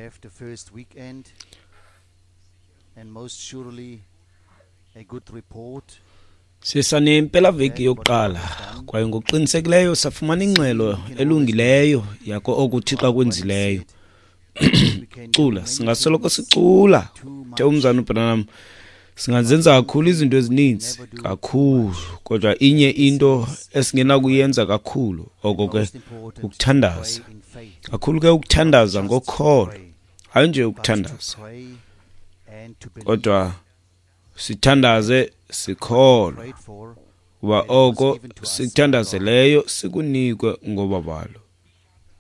have the first weekend and most surely a good report. Sisanempelaveki yokuqala kwaye ngokuqinisekileyo safumana ingxelo elungileyo yako oku uThixo akwenzileyo. Cula, singasoloko sicula. Uthe umzana uBranham, singazenza kakhulu izinto ezininzi kakhulu, kodwa inye into esingenakuyenza kakhulu, oko ke ukuthandaza. Kakhulu ke ukuthandaza ngokholo, hayi nje ukuthandaza, kodwa sithandaze sikholwa kuba oko sikuthandazeleyo sikunikwe ngobabalo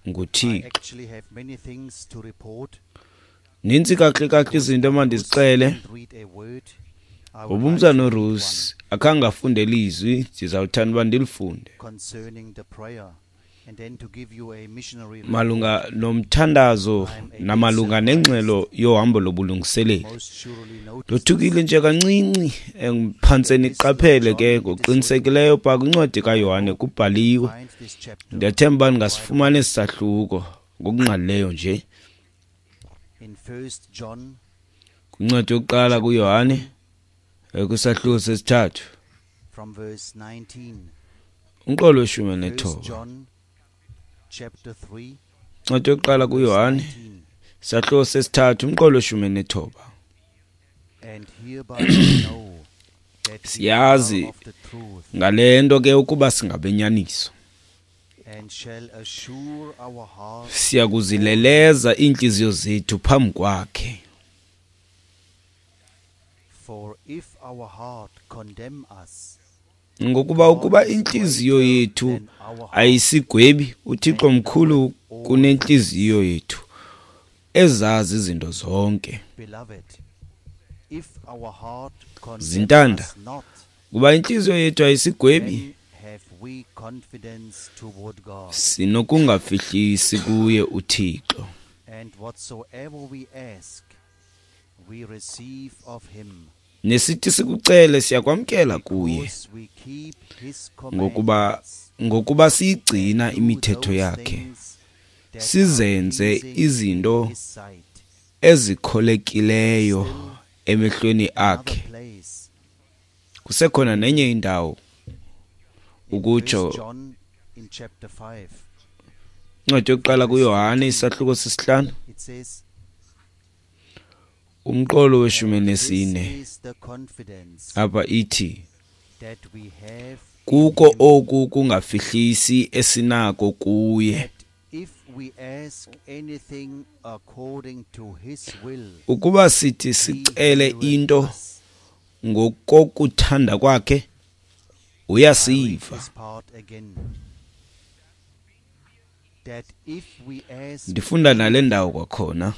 nguThixo. Nintsi kakuhle kakuhle izinto emandizixele. Ngoba umzana uRusi akhange afunde lizwi, ndizawuthanda uba ndilifunde malunga nomthandazo namalunga nengxelo yohambo lobulungiseleli. Ndothukile nje kancinci phantse niqaphele ke ngokuqinisekileyo pha kwincwadi kaYohane kubhaliwe. Ndiyathemba uba ningasifumana esi sahluko ngokungqalileyo nje. Kwincwadi yokuqala kuYohane kwisahluko sesithathu umqolo weshumi nethoba. Incwadi yokuqala kuYohane isahluko sesithathu umqolo weshumi nethoba. Siyazi ngale nto ke ukuba singabenyaniso, siyakuzileleza iintliziyo zethu phambi kwakhe. Ngokuba ukuba intliziyo yethu ayisigwebi, uThixo mkhulu kunentliziyo yethu, ezazi izinto zonke. Zintanda, kuba intliziyo yethu ayisigwebi, sinokungafihlisi kuye uThixo. Nesithi sikucele siyakwamkela kuye, ngokuba siyigcina imithetho yakhe, sizenze izinto ezikholekileyo emehlweni akhe. Kusekhona nenye indawo ukutsho incwadi yokuqala kuYohane isahluko sesihlanu umqolo weshumi nesine. Apha ithi, kuko oku kungafihlisi esinako kuye, ukuba sithi sicele into ngokokuthanda kwakhe, uyasiva. Ndifunda nale ndawo kwakhona.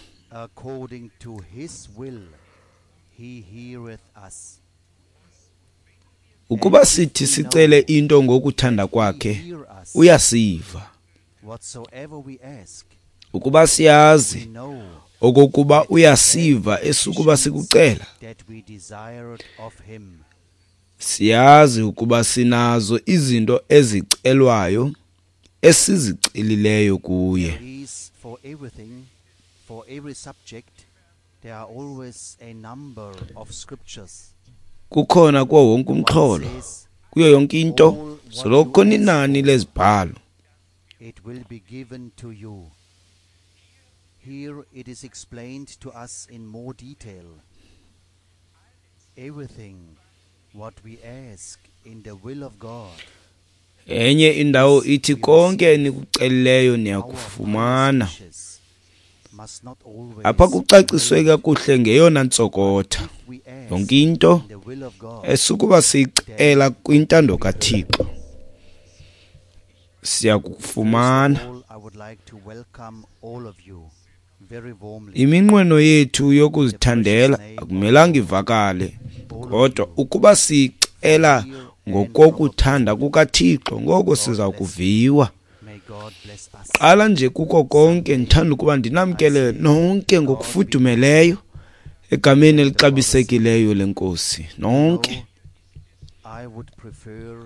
Ukuba sithi sicele into ngokuthanda kwakhe, uyasiva. Ukuba siyazi okokuba uyasiva esukuba sikucela, siyazi ukuba sinazo izinto ezicelwayo esizicelileyo kuye. Kukhona kuwo wonke umxholo, kuyo yonke into, soloko kukhona inani lezibhalo. It will be given to you. Here it is explained to us in more detail. Everything what we ask in the will of God. Enye indawo ithi konke enikucelileyo niyakufumana. Apha kucaciswe kakuhle ngeyona ntsokotha. Yonke into esukuba siyicela kwintando kaThixo siyakufumana. Iminqweno yethu yokuzithandela akumelanga ivakale, kodwa ukuba siyicela ngokokuthanda kukaThixo, ngoko siza kuviwa. Qala nje kuko konke, ndithanda ukuba ndinamkele nonke ngokufudumeleyo egameni elixabisekileyo leNkosi. Nonke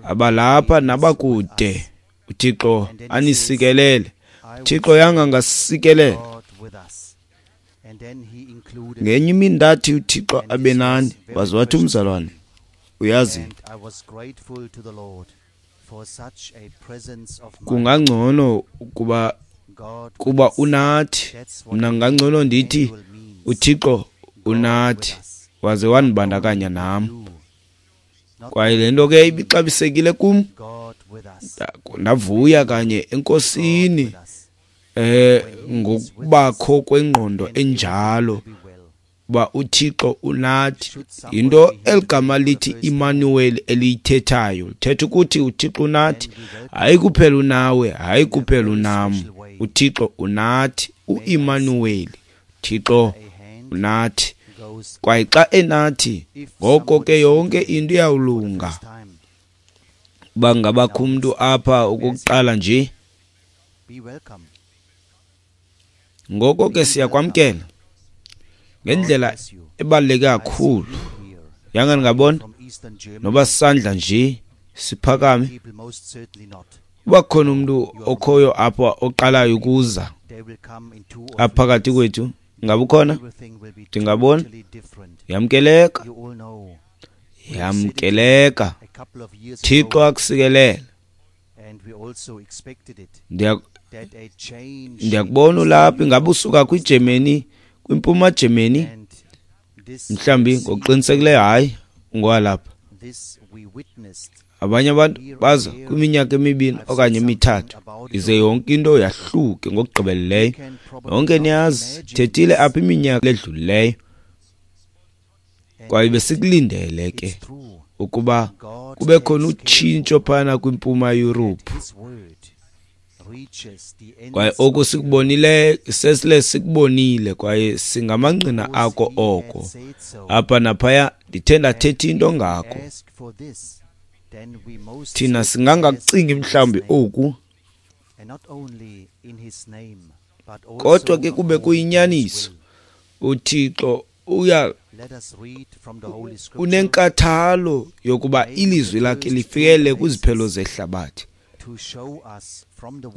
abalapha nabakude, uThixo anisikelele. uThixo yanga ngasikelela. Ngenye imini ndathi uThixo abe nani, waze wathi umzalwane, uyazi, kungangcono ukuba kuba unathi. Mna ngangcono ndithi uThixo unathi, waze wandibandakanya nam. Kwaye le nto ke ibixabisekile kum, ndavuya kanye eNkosini ngokubakho kwengqondo enjalo uba uThixo unathi. Yinto eligama lithi Immanuel eliyithethayo, lithetha ukuthi uThixo unathi. Hayi kuphela unawe, hayi kuphela unam, uThixo unathi. uImmanuel, Thixo unathi. Kwaye xa enathi, ngoko ke yonke into iyawulunga. Uba ngabakho umntu apha okokuqala nje, ngoko ke siyakwamkela ngendlela ebaluleke kakhulu. Yanga ndingabona noba sisandla nje siphakame. Uba khona umntu okhoyo apha oqalayo ukuza apha phakathi kwethu, ngabe ukhona? Ndingabona. Yamkeleka, yamkeleka. Thixo akusikelele. Ndiyakubona ulapha. Ingabe usuka kwiGermany, kwiMpuma Germany? Mhlawumbi ngokuqinisekileyo hayi, ungowalapha. Abanye abantu baza kwiminyaka 2 okanye 3, ize yonke into yahluke ngokugqibeleleyo. Yonke niyazi, thethile apha iminyaka edlulileyo, kwaye besikulindele ke ukuba kube khona utshintsho phana kwiMpuma Yurophu. Kwaye oku sikubonile, sesile sikubonile, kwaye singamangqina ako oko. Apha naphaya ndithe ndathetha into ngako. Thina singangakucingi mhlawumbi oku, kodwa ke kube kuyinyaniso. uThixo uya unenkathalo yokuba ilizwi lakhe lifikele kwiziphelo zehlabathi,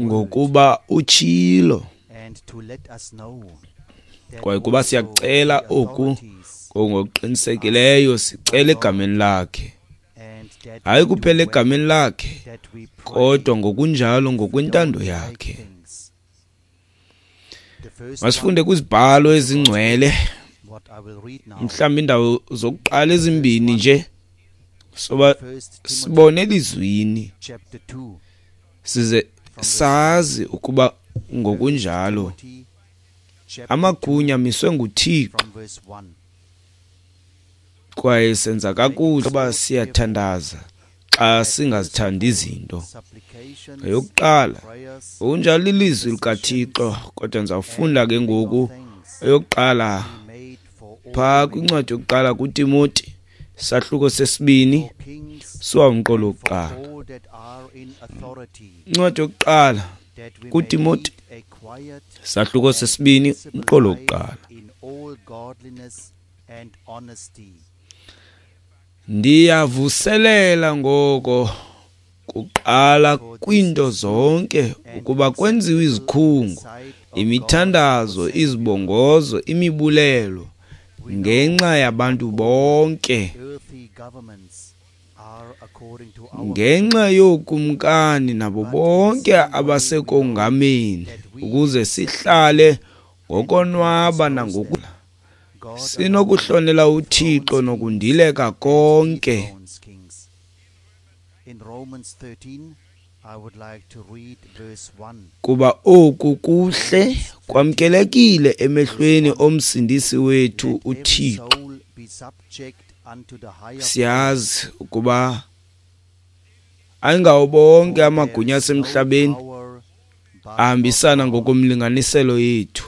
ngokuba utshilo. Kwaye kuba siyakucela oku ngokuqinisekileyo, sicela egameni lakhe, hayi kuphela egameni lakhe, kodwa ngokunjalo ngokwentando yakhe. Masifunde kwizibhalo ezingcwele, mhlawumbi indawo zokuqala ezimbini nje, soba sibone elizwini size sazi ukuba ngokunjalo amagunya amiswe nguThixo. Kwaye senza kakuhle uba siyathandaza xa singazithandi izinto. Eyokuqala, ngokunjalo ilizwi likaThixo, kodwa ndizawufunda ke ngoku eyokuqala phaa kwincwadi yokuqala kuTimoti, sahluko 2, suwa umqolo wokuqala. Incwadi yokuqala kuTimoti, sahluko 2, umqolo wokuqala. Ndiyavuselela ngoko kuqala kwinto zonke ukuba kwenziwe izikhungo, imithandazo, izibongozo, imibulelo ngenxa yabantu bonke, ngenxa yookumkani nabo bonke abasekongameni, ukuze sihlale ngokonwaba nangoku sinokuhlonela uThixo nokundileka konke. Kuba oku kuhle kwamkelekile emehlweni omsindisi wethu uThixo. Siyazi ukuba ayingawo bonke amagunya asemhlabeni ahambisana ngokomlinganiselo yethu,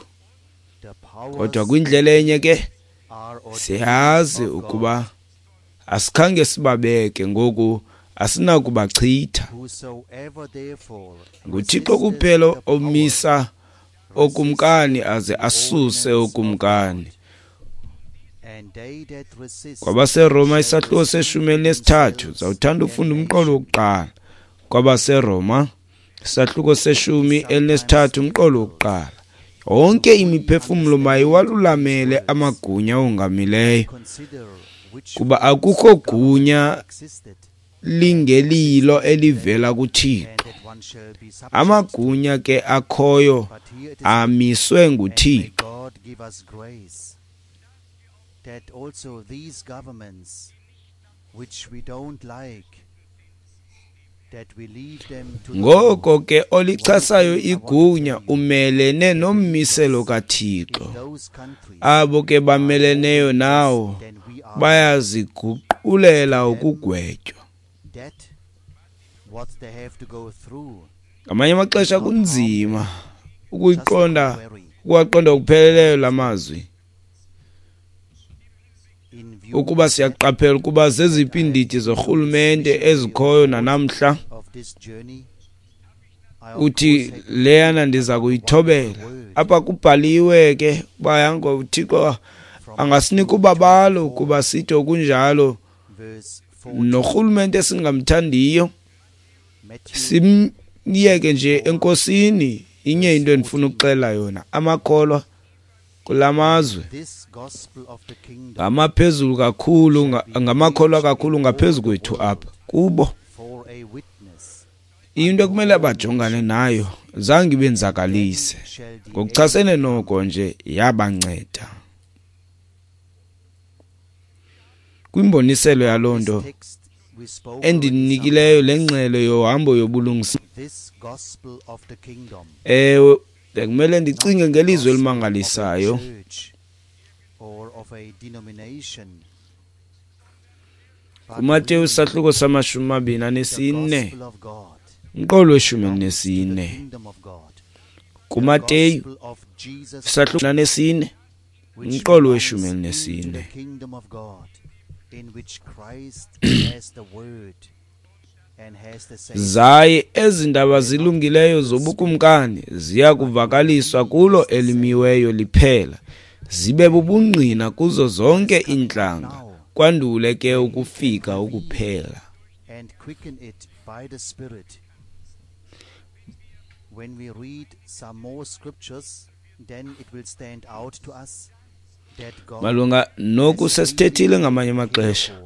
kodwa kwindlela enye ke siyazi ukuba asikhange sibabeke, ngoku asinakubachitha. NguThixo kuphela omisa okumkani aze asuse okumkani. KwabaseRoma isahluko 13, zawuthanda ufunda umqolo wokuqala. KwabaseRoma isahluko 13, umqolo wokuqala. Yonke imiphefumlo mayiwalulamele amagunya awongamileyo, kuba akukho gunya lingelilo elivela kuThixo. Amagunya ke akhoyo amiswe nguThixo. Ngoko ke olichasayo igunya umelene nommiselo kaThixo. Abo ke bameleneyo nawo bayaziguqulela ukugwetywa. Ngamanye amaxesha kunzima ukuyiqonda, ukuwaqonda ngokupheleleyo la mazwi. Ukuba siyaqaphela ukuba zeziphi iindidi zorhulumente ezikhoyo nanamhla, uthi leyana ndiza kuyithobela. Apha kubhaliwe ke uba yango uThixo angasinika ubabalo kuba sithi okunjalo norhulumente esingamthandiyo simyeke nje enkosini. Inye into endifuna ukuxela yona, amakholwa kulamazwe ngamaphezulu kakhulu, ngamakholwa kakhulu ngaphezu kwethu apha kubo. Into ekumele bajongane nayo zange ibenzakalise, ngokuchasene noko nje yabanceda. Kwimboniselo yaloo nto endinikileyo le ngxelo yohambo yobulungisa, ewe, bekumele ndicinge ngelizwi elimangalisayo. KuMateyu isahluko sama-24, umqolo we-14. KuMateyu isahluko 24, umqolo we-14. Zaye ezi ndaba zilungileyo zobukumkani ziya kuvakaliswa kulo elimiweyo liphela, zibe bubungqina kuzo zonke iintlanga, kwandule ke ukufika ukuphela. Malunga noku sesithethile ngamanye amaxesha.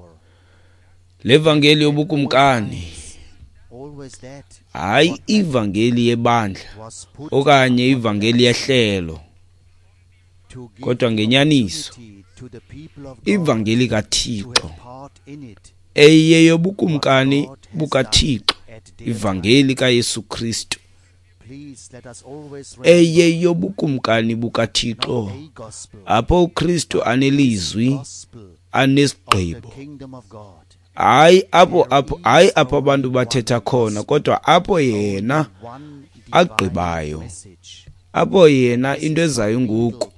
Le vangeli yobukumkani, hayi ivangeli yebandla okanye ivangeli yehlelo, kodwa ngenyaniso ivangeli kaThixo eyeyobukumkani bukaThixo, ivangeli kaYesu Kristu eyeyobukumkani bukaThixo, apho uKristu anelizwi anesigqibo. Hayi apho abantu bathetha khona, kodwa apho yena agqibayo, apho yena into ezayo ngoku,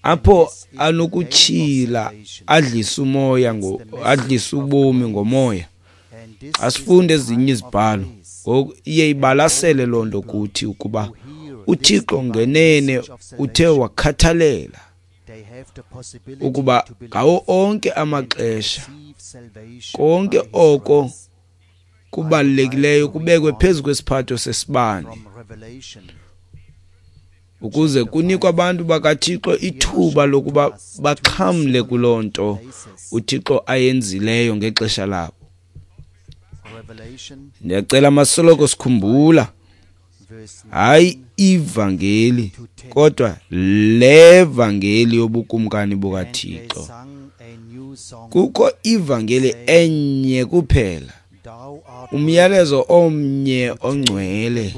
apho anokutyhila adlise umoya, adlise ubomi ngomoya. Asifunde ezinye izibhalo ngoku, iye ibalasele loo nto kuthi ukuba uThixo ngenene uthe wakhathalela ukuba ngawo onke amaxesha konke oko kubalulekileyo kubekwe phezu kwesiphatho sesibane, ukuze kunikwe abantu bakaThixo ithuba lokuba baxhamle kuloo nto uThixo ayenzileyo ngexesha labo. Ndiyacela masoloko sikhumbula, hayi ivangeli, kodwa le vangeli yobukumkani bukaThixo. Kukho ivangeli enye kuphela, umyalezo omnye ongcwele,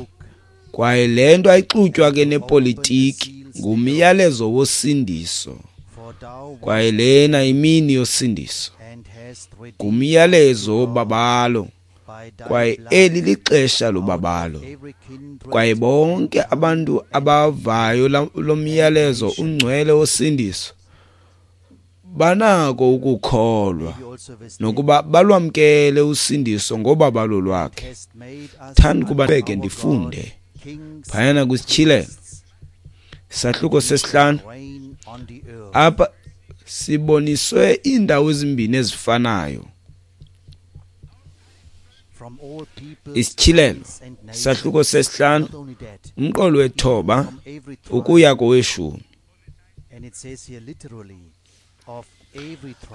kwaye le nto ayixutywa ke nepolitiki, ngumyalezo wosindiso, kwaye lena imini yosindiso, ngumyalezo wobabalo, kwaye eli lixesha lobabalo, kwaye bonke abantu abavayo lo myalezo ungcwele wosindiso banako ukukholwa nokuba balwamkele usindiso ngobabalo lwakhe. Thanda ukuba beke ndifunde phayana kwisityhilelo isahluko 5. Apha siboniswe iindawo ezimbini ezifanayo. Isityhilelo isahluko sesihlanu umqolo wethoba ukuya koweshumi.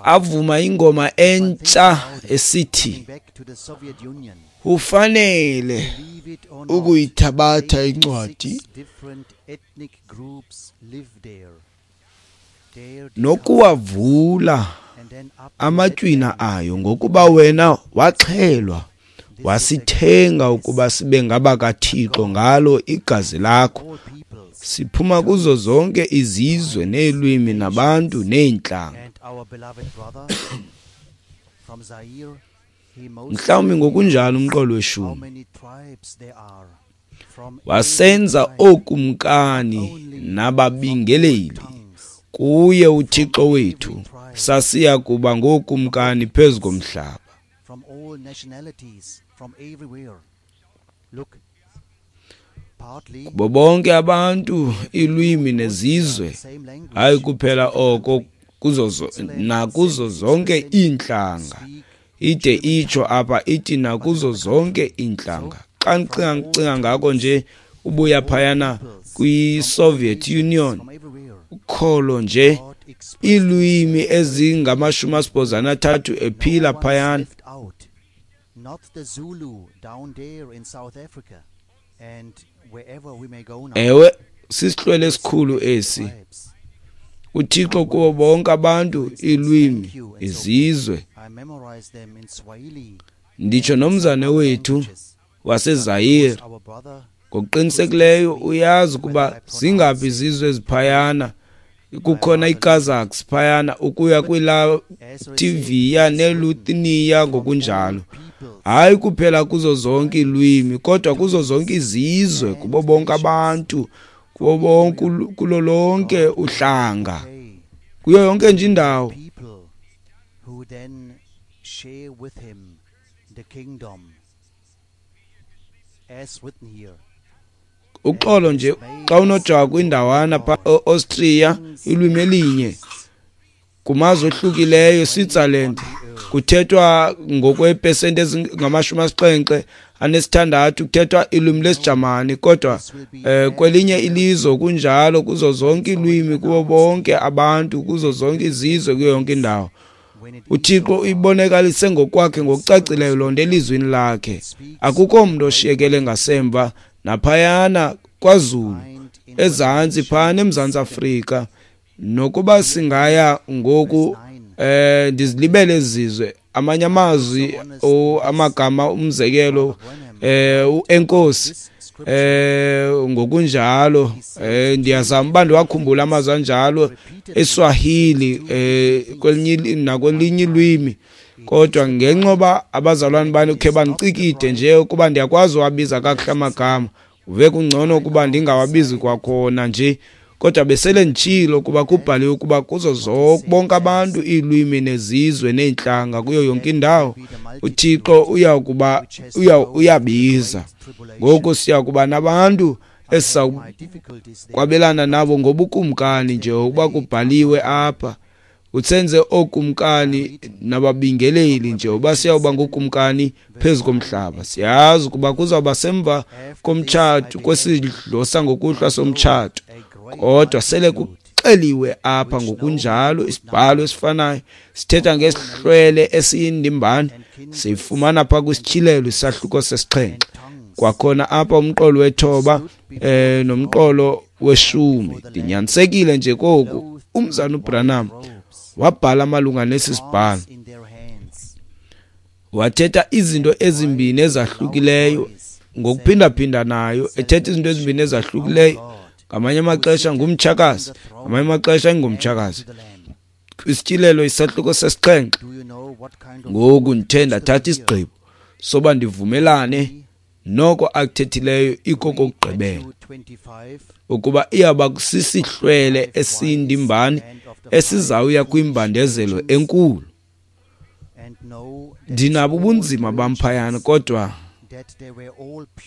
Avuma ingoma entsha esithi, ufanele ukuyithabatha incwadi nokuwavula amatywina ayo, ngokuba wena waxhelwa wasithenga ukuba sibe ngabakaThixo ngalo igazi lakho, siphuma kuzo zonke izizwe neelwimi nabantu neentlanga. Mhlawumbi ngokunjalo umqolo weshumi wasenza ookumkani nababingeleli kuye uThixo wethu, sasiya kuba ngookumkani phezu komhlaba. Kubo bonke abantu, iilwimi nezizwe, hayi kuphela oko, nakuzo zonke iintlanga. Ide itsho apha ithi nakuzo zonke iintlanga. Xa ndicinga ngako nje ubuya phayana kwi-Soviet Union, ukholo nje iilwimi ezingama-83 ephila phayana. Ewe, sisihlwele esikhulu esi. uThixo kubo bonke abantu, iilwimi, izizwe. Nditsho nomzane wethu waseZaire ngokuqinisekileyo uyazi ukuba zingaphi izizwe eziphayana. Kukhona iKazakhs phayana ukuya kwiLatvia neLithuania ngokunjalo. Hayi kuphela kuzo zonke iilwimi, kodwa kuzo zonke izizwe, kubo bonke abantu, kubo bonke, kulo lonke uhlanga, kuyo yonke nje indawo. Uxolo nje xa unojawa kwindawana pha Austria, ilwimi elinye kumazwe ohlukileyo, Switzerland kuthethwa ngokwepesenti ezingama-76 kuthethwa ilwimi lesiJamani, kodwa kwelinye ilizwe kunjalo, kuzo zonke iilwimi, kubo bonke abantu, kuzo zonke izizwe, kuyo yonke indawo. uThixo uyibonakalise ngokwakhe ngokucacileyo loo nto elizwini lakhe. Akukho mntu oshiyekele ngasemva naphayana kwaZulu, ezantsi phana eMzantsi Afrika. Nokuba singaya ngoku, ndizilibele ezizwe, amanye amazwi, amagama, umzekelo, uenkosi, ngokunjalo, ndiyazama uba ndiwakhumbule amazwi anjalo eSwahili, kwelinye nakwelinye ilwimi, kodwa ngenxa yoba abazalwane bani khe bandicikide nje ukuba ndiyakwazi uwabiza kakuhle amagama, uve kungcono ukuba ndingawabizi kwakhona nje. Kodwa besele nditshilo ukuba kubhaliwe ukuba kuzo bonke abantu, iilwimi nezizwe neentlanga, kuyo yonke indawo uThixo uyakuba uyabiza. Ngoku siya kuba nabantu esizakwabelana nabo ngobukumkani nje ukuba kubhaliwe apha. Utsenze ookumkani nababingeleli nje uba siyawuba ngookumkani phezu komhlaba. Siyazi ukuba kuzawuba semva komtshato, kwesidlo sangokuhlwa somtshato, kodwa sele kuxeliwe apha ngokunjalo. Isibhalo esifanayo sithetha ngesihlwele esiyindimbane, siyifumana pha kwisityhilelo isahluko sesixhenxe. Kwakhona apha umqolo wethoba nomqolo weshumi. Ndinyanisekile nje koku, umzana uBranham wabhala malunga nesi sibhalo, wathetha izinto ezimbini ezahlukileyo ngokuphindaphinda nayo, ethetha izinto ezimbini ezahlukileyo. Ngamanye amaxesha ngumtshakazi, ngamanye amaxesha ingumtshakazi. Isityhilelo isahluko sesixhenxe. Ngoku ndithe ndathatha isigqibo soba ndivumelane noko akuthethileyo ikokokugqibela, ukuba iyaba sisihlwele esindimbane esizawuya kwimbandezelo enkulu. Ndinabo ubunzima bamphayana, kodwa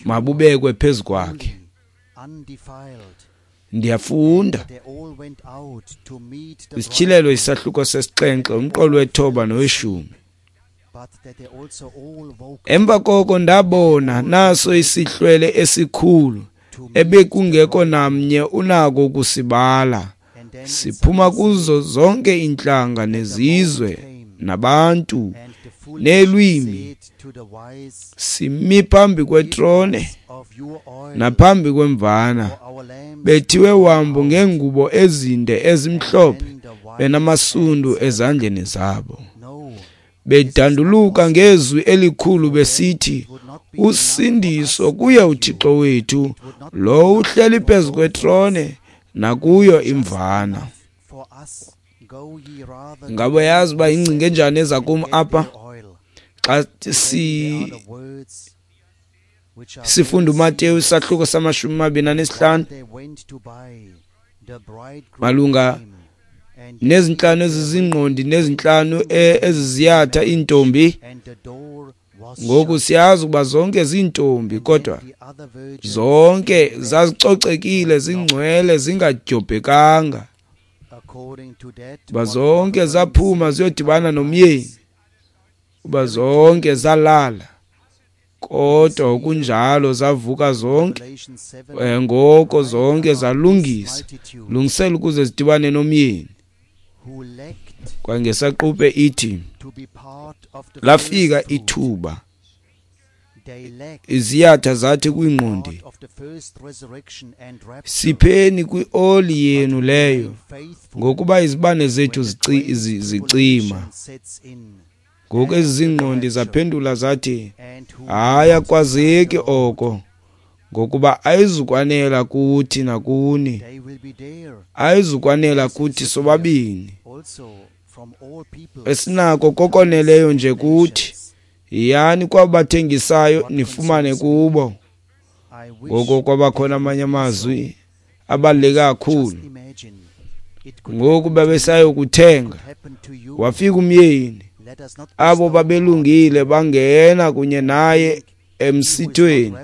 mabubekwe phezu kwakhe. Ndiyafunda isityhilelo isahluko sesixhenxe, umqolo wethoba noweshumi. Emva koko ndabona naso isihlwele esikhulu ebekungekho namnye unako ukusibala, siphuma kuzo zonke iintlanga nezizwe nabantu neelwimi, simi phambi kwetrone naphambi kwemvana, bethiwe wambu ngeengubo ezinde ezimhlophe, benamasundu ezandleni zabo, bedanduluka ngezwi elikhulu besithi, usindiso kuye uThixo wethu, lo uhleli phezu kwetrone nakuyo imvana. Ngaba yazi uba ingcinga enjani eza kum apha xa sifunda uMateyu isahluko sama-25 malunga nezintlanu ezizingqondi nezintlanu eziziyatha iintombi. Ngoku siyazi ukuba zonke ziintombi, kodwa zonke zazicocekile, zingcwele, zingadyobhekanga. Uba zonke zaphuma ziyodibana nomyeni, uba zonke zalala, kodwa okunjalo zavuka zonke, ngoko zonke zalungisa, lungisela ukuze zidibane nomyeni. Kwangesaquphe ithi lafika ithuba, iziyatha zathi kwiingqondi, sipheni kwioli yenu leyo, ngokuba izibane zethu zicima. Ngoku ezi zingqondi zaphendula zathi, hayi, akwazeki oko, ngokuba ayizukwanela kuthi nakuni, ayizukwanela kuthi sobabini. Esinako kokoneleyo nje kuthi, yiyani kwabathengisayo nifumane kubo. Ngoko kwabakhona amanye amazwi abaluleke kakhulu. Ngoku babesayokuthenga, wafika umyeni. Abo babelungile bangena kunye naye emsithweni,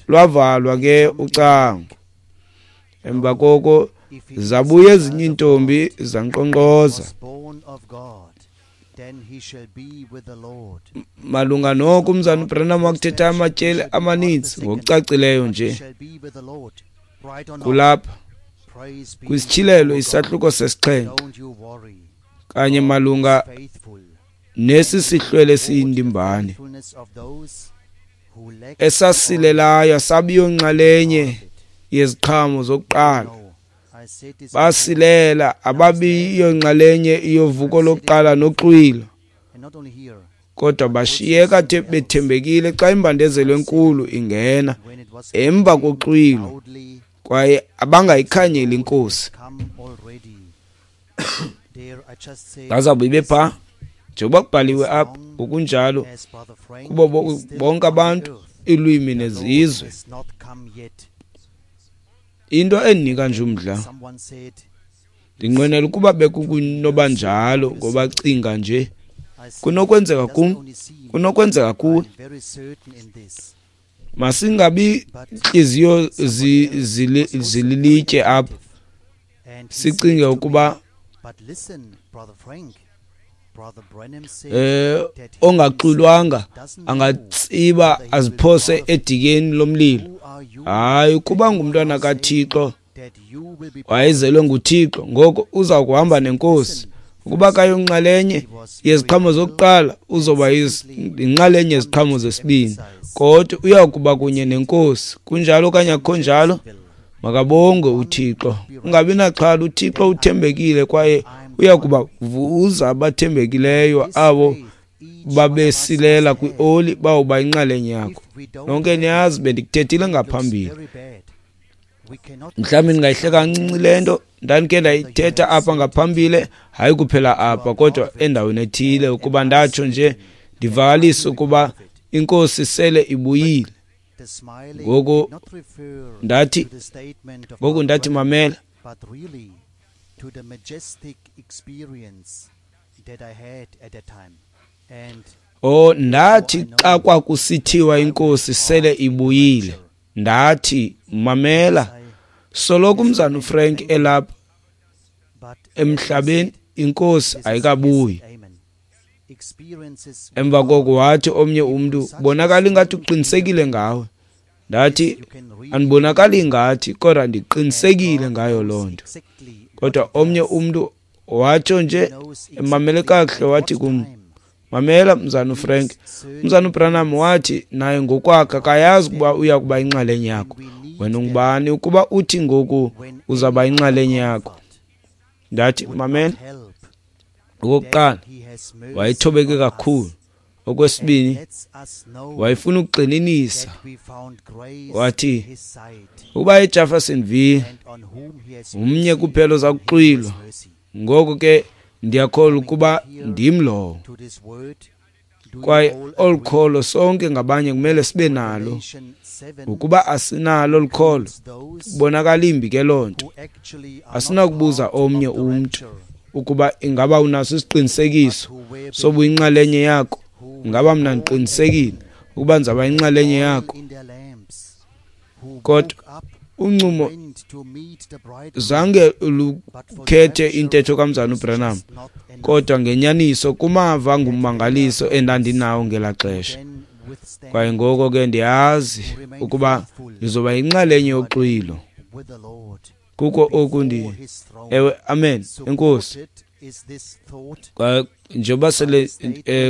lwavalwa ke ucango. Emva koko zabuya ezinye iintombi zankqonkqoza. Malunga noko umzana uBranham wakuthetha amatyeli amaninzi ngokucacileyo nje. Kulapha kwisityhilelo isahluko sesixhenxe kanye malunga nesi sihlwele siyindimbane esasilelayo sabiyo nxalenye yeziqhamo zokuqala. Basilela ababiyo nxalenye yovuko lokuqala noxwilo, kodwa bashiyeka bethembekile xa imbandezelo enkulu ingena emva koxwilo, kwaye abangayikhanyeli inkosi. Bazawube bepha njengoba kubhaliwe apha, ngokunjalo kubo bonke abantu, iilwimi nezizwe. Into endinika nje umdla, ndinqwenela ukuba bekukunoba njalo, ngoba cinga nje kunokwenzeka kum, kunokwenzeka kuwe. Masingabi ntliziyo zililitye apha, sicinge ukuba ongaxwilwanga angatsiba aziphose edikeni lomlilo. Hayi, ukuba ngumntwana kaThixo, wayezelwe nguThixo, ngoko uza kuhamba nenkosi. Ukuba kayonxalenye yeziqhamo zokuqala, uzoba yinxalenye yeziqhamo zesibini, kodwa uya kuba kunye nenkosi. Kunjalo okanye akukho njalo? Makabongwe uThixo. Ungabi naxhala, uThixo uthembekile kwaye uya kubavuza abathembekileyo abo babesilela kwioli, bawuba inxalenye yakho. Nonke niyazi bendikuthethile ngaphambili. Mhlawumbi ndingayihleka kancinci le nto ndandikhe ndayithetha apha ngaphambili, hayi kuphela apha kodwa endaweni ethile, ukuba ndatsho nje ndivakalise ukuba inkosi sele ibuyile. Ngoku ndathi mamela, ndathi xa kwakusithiwa inkosi sele ibuyile, ndathi mamela, soloko umzana uFrank elapha emhlabeni, inkosi ayikabuyi. Emva koko wathi omnye umntu, bonakala ingathi uqinisekile ngawe. Ndathi, andibonakali ngathi, kodwa ndiqinisekile ngayo loo nto. Kodwa omnye umntu watsho nje emamele kakuhle, wathi kum, mamela mzana uFrank, umzana uBranham wathi naye ngokwakhe akayazi ukuba uya kuba inxalenye yakho. Wena ungubani ukuba uthi ngoku uzawuba inxalenye yakho? Ndathi, mamela, okokuqala wayethobeke kakhulu. Okwesibini, wayefuna ukugxininisa. Wathi ukuba eJeffersonville umnye kuphela oza kuxwilwa, ngoko ke ndiyakholwa ukuba ndim lowo. Kwaye olu kholo sonke ngabanye kumele sibe nalo. Ukuba asinalo olu kholo, kubonakala imbi ke loo nto. Asinakubuza omnye umntu ukuba ingaba unaso isiqinisekiso sobuyinxalenye yakho. Ingaba mna ndiqinisekile ukuba ndizawuba yinxalenye yakho? Kodwa uncumo zange lukhethe intetho kamzana uBranham, kodwa ngenyaniso kumava angummangaliso endandinawo ngelaa xesha. Kwaye ngoko ke ndiyazi ukuba ndizoba yinxalenye yoxwilo. Kuko oku ndi, ewe, amen, enkosi. Kwaye njengoba sele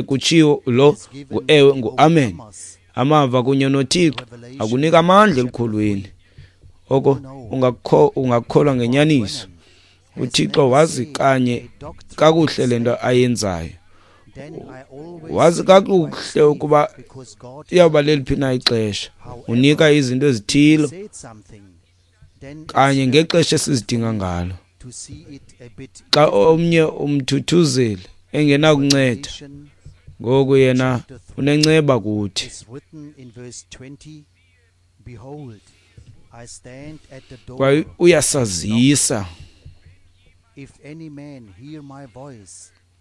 kutshiwo, lo ngu-ewe, ngu-amen. Amava kunye noThixo akunika amandla elukholweni. Oko ungakholwa ngenyaniso. uThixo wazi kanye kakuhle le nto ayenzayo. Wazi kakuhle ukuba iyawuba leliphi na ixesha. Unika izinto ezithile kanye ngexesha esizidinga ngalo. Xa omnye umthuthuzeli engenakunceda, ngoku yena unenceba kuthi. Kwaye uyasazisa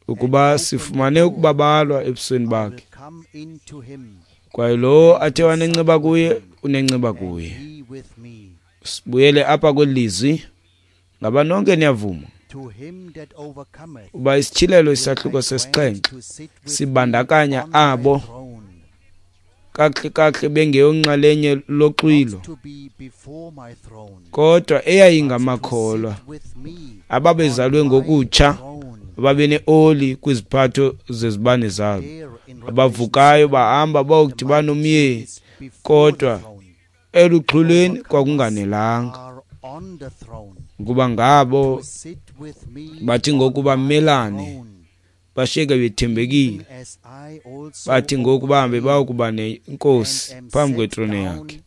ukuba sifumane ukubabalwa ebusweni bakhe. Kwaye lowo athe wanenceba kuye, unenceba kuye. Sibuyele apha kweli lizwi. Ngaba nonke niyavuma uba isityhilelo isahluko sesixhenxe sibandakanya abo kakuhle kakuhle bengeyonxalenye loxwilo, kodwa eyayingamakholwa ababezalwe ngokutsha, ababeneoli kwiziphatho zezibane zabo, abavukayo bahamba bayokudibana nomyeni, kodwa eluxhwilweni kwakunganelanga. Kuba ngabo bathi ngoku bamelane, bashiyeke bethembekile, bathi ngoku bahambe bayokuba nenkosi phambi kwetrone yakhe.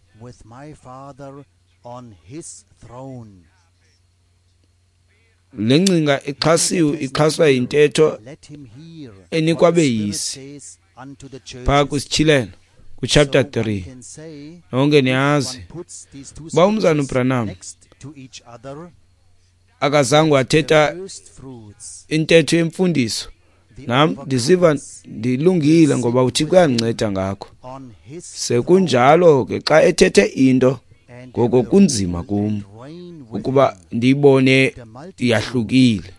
Le ngcinga ixhasiwe, ixhaswa yintetho enikwa abeyisi phaa kwisityhilelo kwichapter 3. Nonke niyazi uba umzana uBranham akazange wathetha intetho yemfundiso. Nam ndiziva ndilungile ngoba uThixo uyandinceda ngakho. Sekunjalo ke xa ethethe into, ngoko kunzima kum ukuba ndiyibone yahlukile.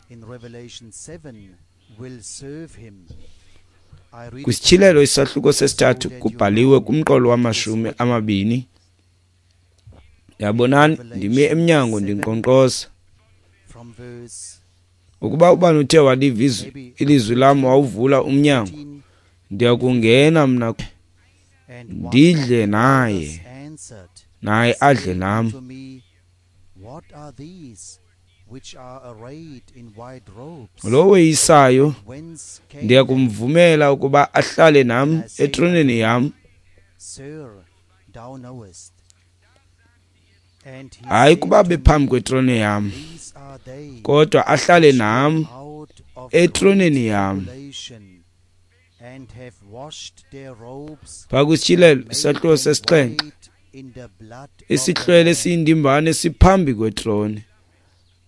Kwisityhilelo isahluko sesithathu kubhaliwe kumqolo wamashumi amabini. Yabonani, ndimi emnyango ndinkqonkqoza. Ukuba ubani uthe waliva ilizwi lam wawuvula umnyango, ndiyakungena mna ndidle naye, naye adle nam. Lowo weyisayo ndiyakumvumela ukuba ahlale nam etroneni yam. Hayi kuba bephambi kwetrone yam, kodwa ahlale nam etroneni yam. Phaa kwisityhilelo isahluko sesixhenxe, isihlwele esiyindimbane siphambi kwetrone,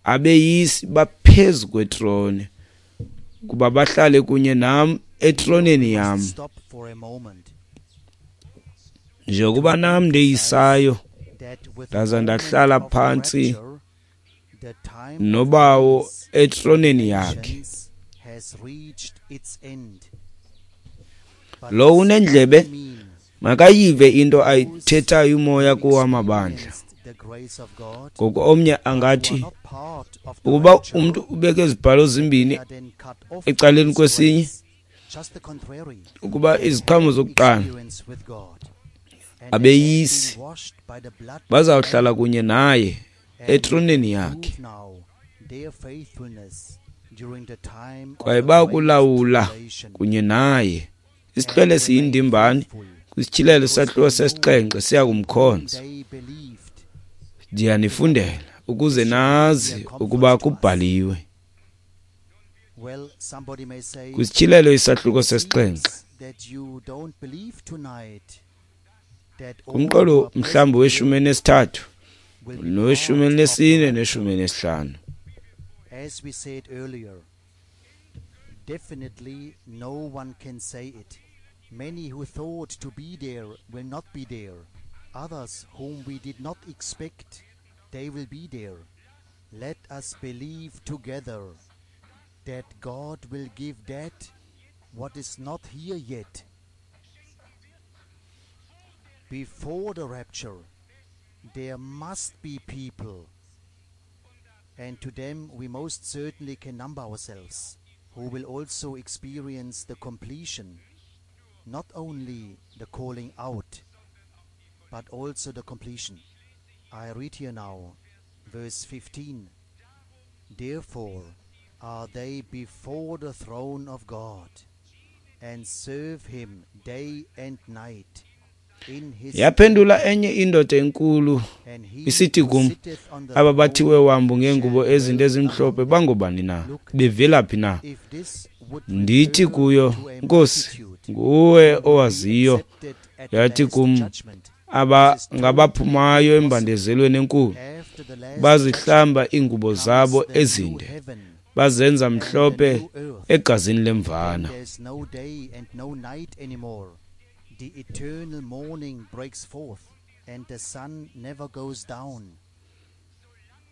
abeyisi baphezu kwetrone, kuba bahlale kunye nam etroneni yam. Njengokuba nam ndeyisayo, ndaza ndahlala phantsi nobawo etroneni yakhe. Lowo unendlebe makayive into ayithethayo uMoya kuwo amabandla. Ngoku omnye angathi, ukuba umntu ubeke izibhalo zimbini ecaleni kwesinye, ukuba iziqhamo zokuqala abeyisi bazawuhlala kunye naye etroneni yakhe, kwaye bakulawula kunye naye. Isihlwele siyindimbane kwisityhilelo sahluko sesixhenxe siyakumkhonza. Ndiyanifundela ukuze nazi ukuba kubhaliwe. Kwisityhilelo isahluko sesixhenxe, kumqolo mhlawumbi weshumi elinesithathu noweshumi elinesine neshumi elinesihlanu. As we said earlier, definitely no one can say it. Many who thought to be there will not be there. Others whom we did not expect, they will be there. Let us believe together that God will give that what is not here yet. Before the rapture, there must be people, and to them we most certainly can number ourselves, who will also experience the completion, not only the calling out, but also the completion. I read here now, verse 15. Therefore are they before the throne of God, and serve him day and night in his Yaphendula enye indoda enkulu and he isithi who kum, sitteth on the aba bathiwe throne wambu ngeengubo shall ezinde dwell ezimhlophe among them. bangobani na? Look, Bevelaphi na? if this would Ndithi refer kuyo, to a Nkosi, multitude nguwe who would be owaziyo. accepted at the Yathi last kum, judgment, aba this is totally ngabaphumayo impossible. embandezelweni enkulu, After the last judgment bazihlamba iingubo comes zabo the new ezinde, heaven bazenza and the mhlophe new earth. egazini Then lemvana. there's no day and no night anymore. The eternal morning breaks forth, and the sun never goes down.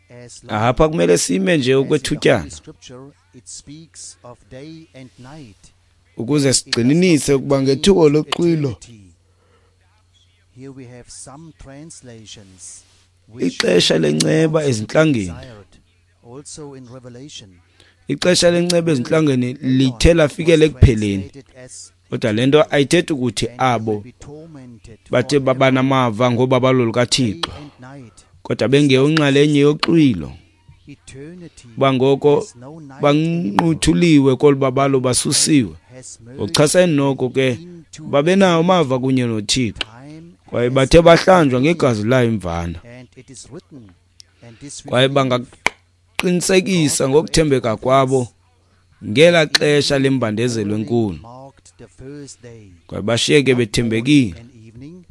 As long Apha kumele sime nje as in the Holy okwethutyana Scripture it speaks of day and night, ukuze it does not sigxininise ukuba pertain ngethuba to loxwilo eternity. Here we have some translations which ixesha lenceba not to be ezintlangeni, desired. Also in Revelation, ixesha lenceba will ezintlangeni lithe Elon lafikela was ekupheleni. translated as Kodwa le nto ayithethi ukuthi and he will abo be tormented bathe forever, babanamava ngobabalo day lukaThixo, and night. kodwa This doesn't bengeyonxalenye exist. yoxwilo, Eternity kuba ngoko has no night anymore. banquthuliwe kolu babalo Time basusiwe. has merged Ngokuchasene noko ke into babenawo eternity. amava kunye noThixo, Time kwaye has bathe bahlanjwa eternity, ngegazi layo imvana, and it is written, and this we kwaye believe, bangaqinisekisa God created ngokuthembeka all kwabo things, ngelaa and xesha evening and lembandezelo morning enkulu, marked the first day. kwaye bashiyeke Not morning bethembekile and evening,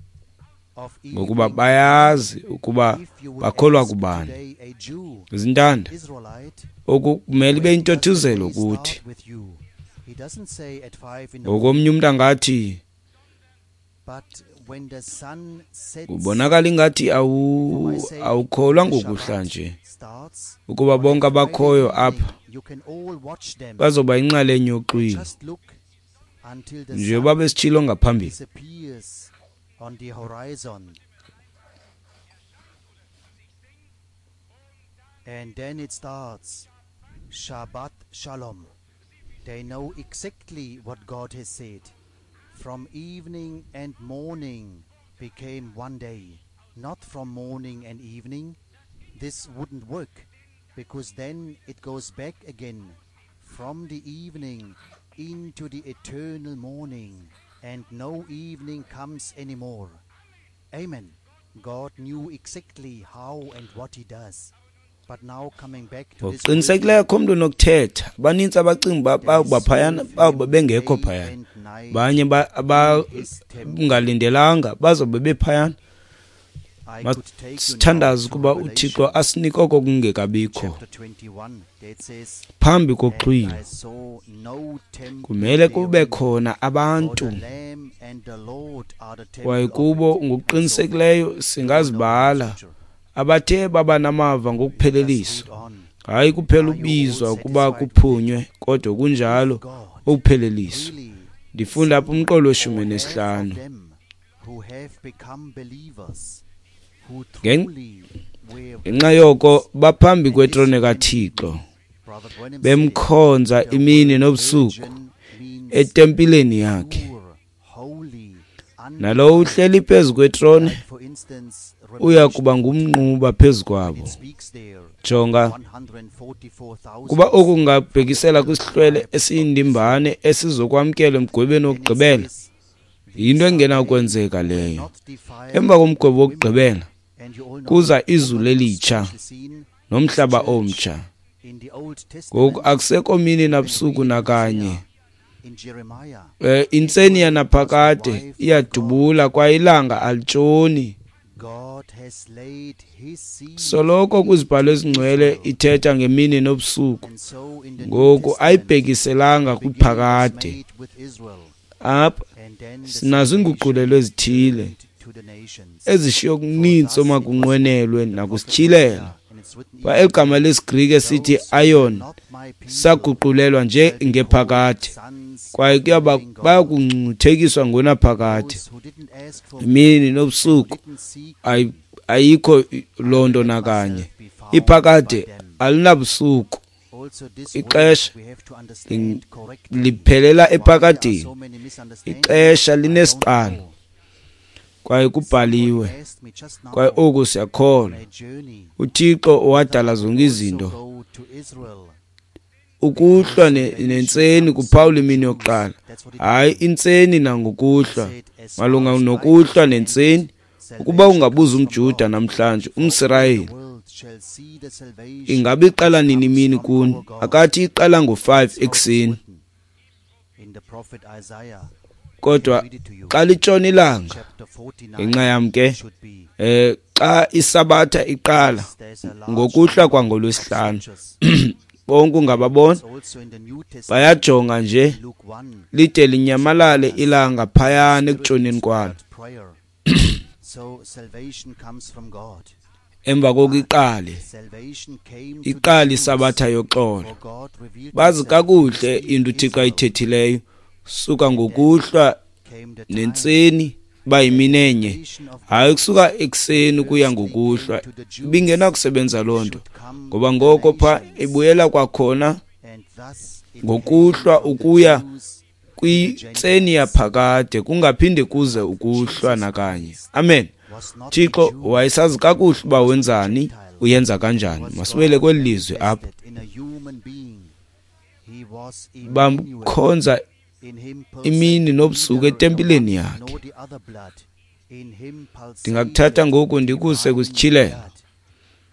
of ngokuba evening and bayazi morning. ukuba If you would bakholwa ask kubani. today a Jew, Zintanda, Israelite, oku kumele ibe when does the yintothuzelo day kuthi. start with you? He doesn't say at 5 in the Ngokomnye morning, umntu angathi but when the sun sets, kubonakala ingathi for my sake, awukholwa the ngokuhla Shabbat nje starts ukuba on a bonke Friday abakhoyo evening. apha You can all watch them. bazoba yinxalenye yoxwilo Just look until the njengoba sun besitshilo ngaphambili. disappears on the horizon. And then it starts. Shabbat Shalom. They know exactly what God has said. From evening and morning became one day, not from morning and evening. This wouldn't work, because then it goes back again from the evening into the eternal morning, and no evening comes anymore. Amen. God knew exactly how and what he does. But now coming back to this Ngokuqinisekileyo wording, akho mntu unokuthetha. Banintsi abacinga uba they bawuba phayana, serve bawuba him bengekho day phayana. and night Banye in his temple. abangalindelanga bazobe bephayana. I could take you now Masithandaze to ukuba uThixo Revelation asinike oko kungekabikho chapter 21. That says, phambi And koxwilo. I saw no temple Kumele kube therein, khona for abantu the Lamb and the Lord are the kwaye temple of kubo it, and so forth. ngokuqinisekileyo You know the singazibala scripture. abathe baba namava Let us ngokupheleliswa. read on. Hayi kuphela Are you all ubizwa ukuba satisfied with it? kuphunywe, kodwa If kunjalo God ukupheleliswa. really Ndifunda apha umqolo Or weshumi half of nesihlanu. them who have become believers, who truly were Ngenxa yoko baphambi And this kwetrone can kaThixo, Brother Branham said, bemkhonza the imini word nobusuku virgin means etempileni yakhe. pure, holy, Nalowo uhleli phezu kwetrone Like for instance, uya Revelation kuba ngumnquba phezu 2, kwabo. it speaks there, Jonga, 144,000 kuba oku kungabhekisela kwisihlwele esiyindimbane esizokwamkela emgwebeni And it wokugqibela, says, yinto "These are engenakwenzeka they who leyo. not defiled Emva komgwebo women." wokugqibela And you all know kuza the izulu woman elitsha especially seen nomhlaba church omtsha. in the Old Ngoku Testament, akusekho mini you can nabusuku read in nakanye. Isaiah, in Jeremiah, Intseni it was the yanaphakade wife of God. iyadubula kwaye ilanga alitshoni. God has laid his seed Soloko kwizibhalo ezingcwele Israel. ithetha ngemini nobusuku. And so in the New Ngoku Testament, ayibhekiselanga the beginning was kwiphakade. made with Israel, Apha and then the sinazo salvation iinguqulelo ezithile turned to the nations. ezishiye For okuninzi thus it was omakunqwenelwe written, the prophet nakusityhilelo. Hosea, and it's written Kwa even eli gama lesiGrike esithi those who were aion not my people saguqulelwa nje shall be called ngephakade, sons kwaye of the living God. bayakungcuthekiswa ngonaphakade. Those who didn't ask for me, Imini who nobusuku didn't seek me, ayikho loo nto let nakanye. myself be found by Iphakade them. alinabusuku. Also this word Ixesha we have to understand correctly. liphelela Why there are ephakadeni. so many misunderstandings, Ixesha I don't linesiqalo know. kwaye Somebody kubhaliwe, asked me just kwaye now oku siyakholwa. on a journey uThixo whether owadala I could zonke also izinto. go to Israel Ukuhlwa because salvation nentseni comes kuphawula from the imini Jews. yokuqala, That's what it hayi means. intseni He nangokuhlwa. said, as Malunga far as I nokuhlwa understand nentseni, it, ukuba salvation ungabuza comes from umJuda God. namhlanje, For all the umSirayeli, world shall see the salvation ingabe iqala which nini comes imini from kuni? our God. Akathi iqala ngo-5 That's how it's ekuseni, written in the prophet Isaiah. I can kodwa read it to you. xa litshona ilanga, Chapter 49 ngenxa yam ke, should be. xa isabatha iqala Yes, there's a large ngokuhlwa number of kwangolwesihlanu, scriptures. bonke ungababona It's also in the New Testament, bayajonga nje Luke 1, lide linyamalale tells us ilanga the phayana Spirit ekutshoneni kwalo. inspired prayer. So salvation comes from God. Emva koku iqale Salvation came to the iqale Jews, isabatha yoxolo. for God revealed Bazi himself to kakuhle his into uThixo Israel. ayithethileyo suka And then ngokuhlwa came the time nentseni that uba the yimini enye, salvation of hayi God ukusuka ekuseni ukuya firstly came ngokuhlwa. to the Jews, Ibingenakusebenza loo nto, should come ngoba to the ngoko pha nations. ibuyela kwakhona And thus it came ngokuhlwa from the ukuya Jews to the kwintseni Gentiles. yaphakade, kungaphinde kuze ukuhlwa Jesus nakanye. Christ Amen. was not a Thixo Jew, wayesazi kakuhle uba was a wenzani, Gentile. uyenza kanjani. Was Masibuyele God kweli lizwi apha. manifested in a human being. He was Emmanuel. Bamkhonza In him imini pulsated nobusuku neither the etempileni one yakhe. nor the other blood. In him Ndingakuthatha pulsated ngoku ndikuse divine kwisityhilelo blood.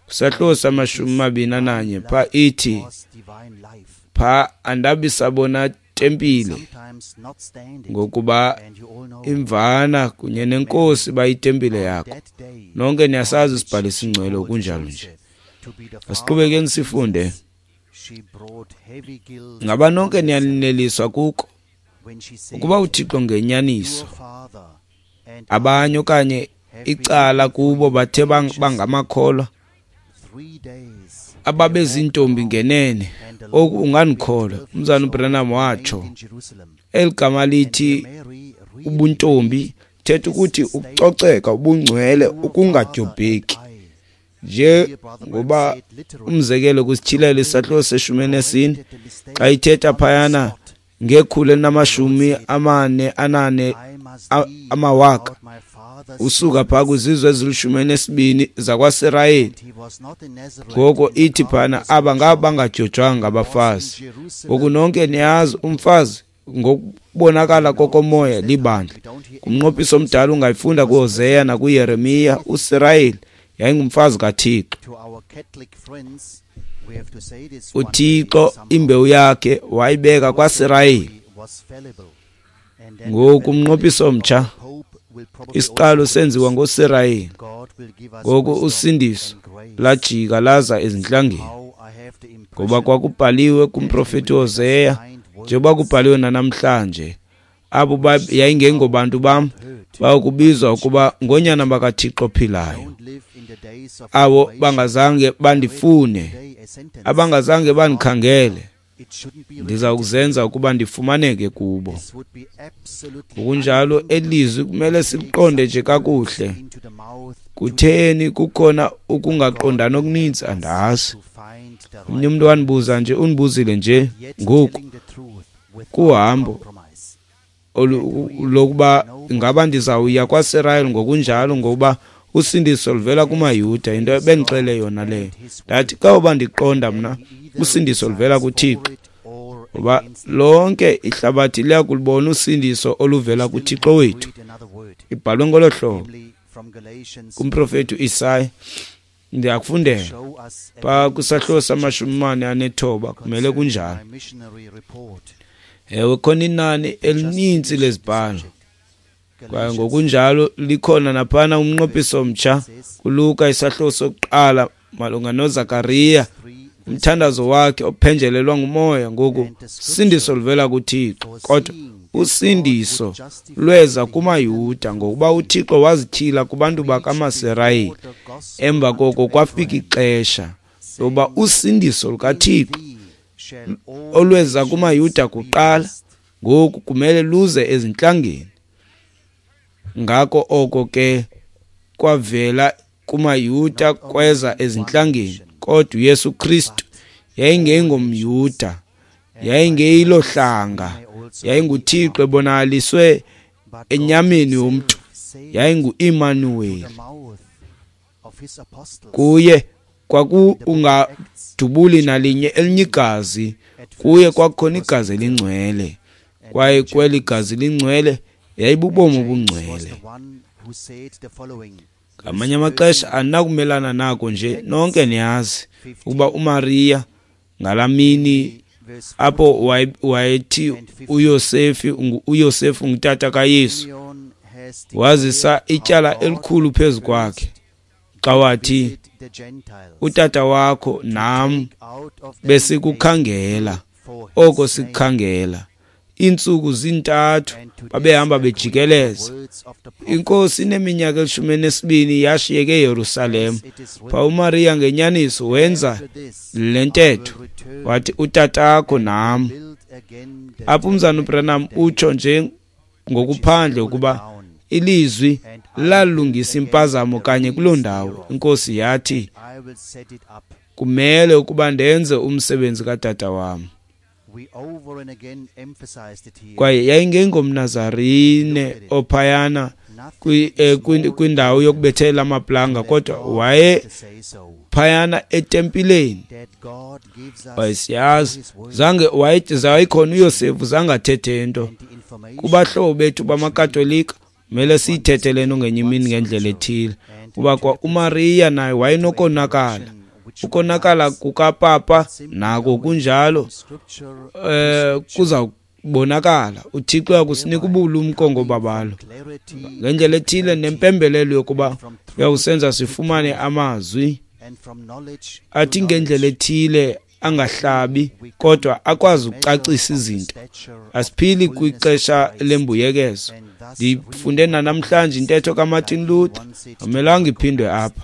kwisahluko And in samashumi this mabini divine ananye, pha blood ithi was divine life. pha andabi sabona I can tempile, sometimes not stand it. ngokuba And you all know imvana kunye that Mary nenkosi bayitempile on yakho. that day Nonke on niyasazi which isibhalo she esingcwele called kunjalo nje. Joseph to be the father Asiqhubekeni of sifunde. Jesus, she brought heavy guilt Ngaba upon nonke herself niyaneliswa kuko when she said, ukuba uThixo ngenyaniso Your father and abanye I okanye have been icala looking for kubo you bathe anxiously. bangamakholwa 3 days they ababezintombi walked ngenene. around, and the Oku Lord being ungandikholwa, 12 years umzana old uBranham remained watsho. in Jerusalem. Eli gama And lithi here Mary really ubuntombi made thetha this ukuthi statement, ukucoceka, ubungcwele, Your father and ukungadyobheki. I. Nje Here Brother Branham ngoba said literally, umzekelo kwisityhilelo Mary isahluko seshumi elinesine corrected the xa mistake ithetha on the phayana spot. ngekhulu The Lord elinamashumi said, amane anane I must be amawaka about my father's usuka phaa business. kwizizwe ezilishumi elinesibini zakwaSirayeli. And he was not in Nazareth Ngoko in the ithi phana carpenter's aba ngaba workshop. bangadyojwanga He was in ngabafazi. Ngoku Jerusalem nonke in the niyazi temple. umfazi ngokubonakala You know, kokomoya since that time libandla. we don't hear anything Kumnqophiso of omdala Israel. ungayifunda He was kuHoseya perfect. nakuYeremiya, Anything. uSirayeli yayingumfazi kaThixo. To our Catholic friends, we have to say this one day uThixo somehow. imbewu yakhe wayibeka Also, kwaSirayeli. Mary was fallible. And then the Ngoku umnqophiso fallibility of omtsha the Pope will probably isiqalo also senziwa collapse. ngoSirayeli. God will give us Ngoku wisdom usindiso and grace. lajika laza ezintlangeni, Somehow I have the ngoba impression kwakubhaliwe that he kumprofeti will let us Hoseya, find njengoba words kubhaliwe nanamhlanje, abo which somehow yayingengobantu bam not hurt bayokubizwa but ukuba achieve ngoonyana bakaThixo ophilayo, Don't live in the days of abo privation. bangazange I read bandifune, today a sentence abangazange of Father bandikhangele. Ndiza kuzenza ukuba ndifumaneke kubo. Ngokunjalo elizwi kumele siliqonde nje kakuhle. Kutheni kukhona ukungaqondani okuninzi andazi. Omnye umntu wandibuza nje, undibuzile nje ngoku kuhambo lokuba ingaba ndizawuya kwaSirayeli ngokunjalo, ngokuba usindiso luvela kumaYuda, into ebendixele yona leyo. Ndathi xa ndiqonda mna usindiso luvela kuThixo, ngoba lonke ihlabathi liyakulubona usindiso oluvela kuThixo wethu. Ibhalwe ngolo hlobo kumprofeti uIsaya. Ndiyakufundela phaa kwisahluko sama-49, kumele kunjalo. Ewe, khona inani elininzi lezibhalo, kwaye ngokunjalo likhona naphana umnqophiso omtsha kuLuka isahluko sokuqala malunga noZakariya, umthandazo wakhe ophenjelelwa ngumoya. Ngoku usindiso luvela kuThixo, kodwa usindiso lweza kumaYuda ngokuba uThixo wazityhila kubantu bakamaSirayeli. Emva koko kwafika ixesha lokuba usindiso lukaThixo olweza kumaYuda kuqala ngoku kumele luze ezintlangeni. Ngako oko ke kwavela kumaYuda kweza ezintlangeni, kodwa uYesu Kristu yayingengomYuda, yayingeyilohlanga, yayinguThixo ebonakaliswe enyameni yomntu, yayingu-Imanuweli. Kuye kwakungadubuli nalinye elinye igazi, kuye kwakukhona igazi elingcwele, kwaye kweli gazi lingcwele yayibubomi obungcwele. Ngamanye amaxesha andinakumelana nako nje, nonke niyazi ukuba uMariya ngalaa mini apho wayethi uYosefu ngutata kaYesu, wazisa ityala elikhulu phezu kwakhe xa wathi, utata wakho nam besikukhangela, oko sikukhangela. Iintsuku zintathu babehamba bejikeleza. Inkosi ineminyaka 12 yashiyeke eYerusalem. Pha uMariya ngenyaniso wenza le ntetho, wathi utatakho nam. Apha umzana uBranham utsho nje ngokuphandle ukuba ilizwi lalungisa impazamo kanye kuloo ndawo. Inkosi yathi, kumele ukuba ndenze umsebenzi katata wam. Kwaye yayingengomNazarene ophayana kwindawo yokubethela amaplanga, kodwa waye phayana etempileni. Wayesiyazi zange wayekhona uYosefu, zange athethe nto. Kubahlobo bethu bamaKatolika kumele siyithethe le nto ngenye imini ngendlela ethile, kuba kwa uMariya naye wayenokonakala. Ukonakala kukapapa nako kunjalo, kuza kubonakala. uThixo uyakusinika ubulumko ngobabalo ngendlela ethile nempembelelo yokuba uyakusenza sifumane amazwi athi ngendlela ethile angahlabi, kodwa akwazi ukucacisa izinto. Asiphili kwixesha lembuyekezo. Ndifunde namhlanje intetho kaMartin Luther, amelanga iphindwe apha.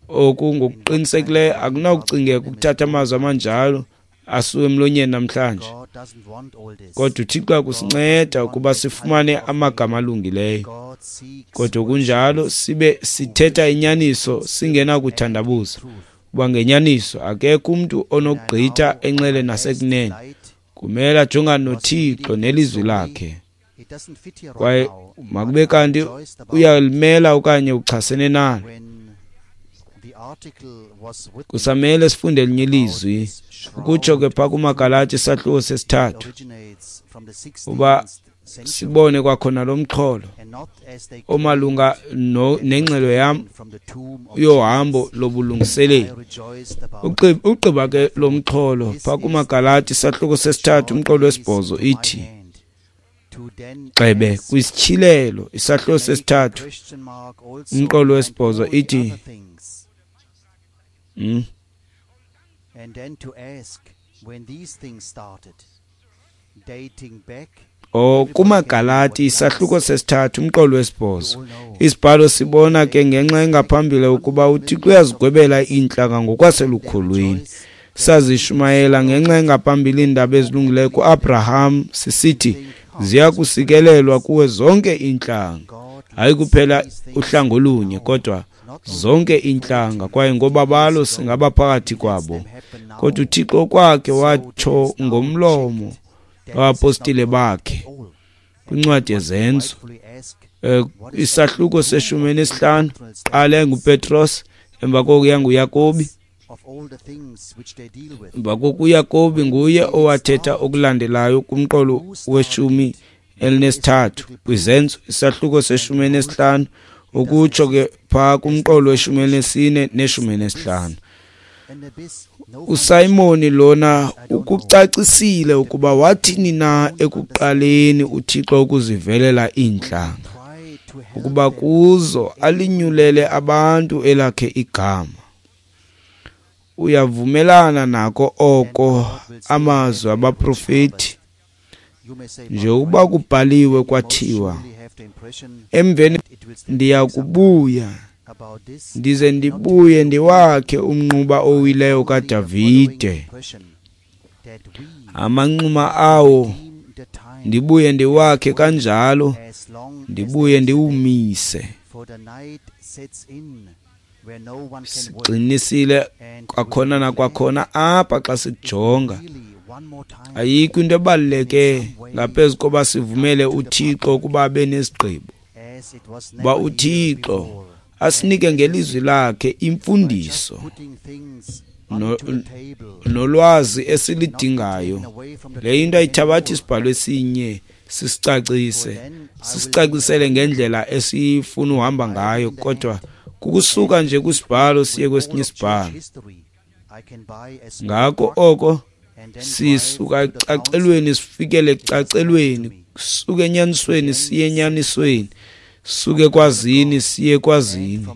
Oku ngokuqinisekileyo akunakucingeka ukuthatha amazwi amanjalo asuke emlonyeni namhlanje, kodwa uThixo akusinceda ukuba sifumane amagama alungileyo, kodwa kunjalo sibe sithetha inyaniso singenakuthandabuza, kuba ngenyaniso akekho umntu onokugqitha enxele nasekunene. Kumele ajongane noThixo nelizwi lakhe, kwaye makube kanti uyalimela okanye uchasene nalo. Kusamele sifunde elinye ilizwi, ukutsho ke phaa kumaGalati isahluko 3, uba sibone kwakhona lo mxholo omalunga nengxelo yam yohambo lobulungiseleli. Ugqiba ke lo mxholo phaa kumaGalati isahluko 3 umqolo 8 ithi, gxebe kwisityhilelo isahluko 3 umqolo 8 ithi, And then to ask when these things started, dating back. KumaGalati isahluko 3 umqolo 8. Isibhalo sibona ke ngenxa engaphambili ukuba uThixo uyazigwebela iintlanga ngokwaselukholweni. Sazishumayela ngenxa engaphambili iindaba ezilungileyo kuAbraham sisithi, ziya kusikelelwa kuwe zonke iintlanga. Hayi kuphela uhlanga olunye, kodwa zonke iintlanga, kwaye ngobabalo singaba phakathi kwabo. Kodwa uThixo kwakhe watsho ngomlomo wabapostile bakhe kwincwadi yeZenzo, isahluko se-15, qala yanguPetros, emva koko yanguYakobi. Emva koko uYakobi nguye owathetha okulandelayo kumqolo we-13 kwiZenzo, isahluko se-15, ukutsho ke phaa kumqolo we-14 ne-15. USimon lona ukucacisile ukuba wathini na ekuqaleni uThixo ukuzivelela iintlanga, ukuba kuzo alinyulele abantu elakhe igama. Uyavumelana nako oko amazwi abaprofeti, njengokuba kubhaliwe kwathiwa, emveni ndiya kubuya ndize ndibuye ndiwakhe umnquba owileyo kaDavide, amanxuma awo ndibuye ndiwakhe kanjalo, ndibuye ndiwumise. Siqinisile kwakhona nakwakhona apha xa sikujonga. Ayikho into ebaluleke ngaphezu koba sivumele uThixo ukuba abe nesigqibo, uba uThixo asinike ngelizwi lakhe imfundiso nolwazi esilidingayo. Le into ayithabathi isibhalo esinye sisicacise, sisicacisele ngendlela esifuna uhamba ngayo, kodwa kukusuka nje kwisibhalo siye kwesinye isibhalo. Ngako oko sisuka ecacelweni sifikele ecacelweni, suke enyanisweni siye enyanisweni, suke kwazini siye kwazini,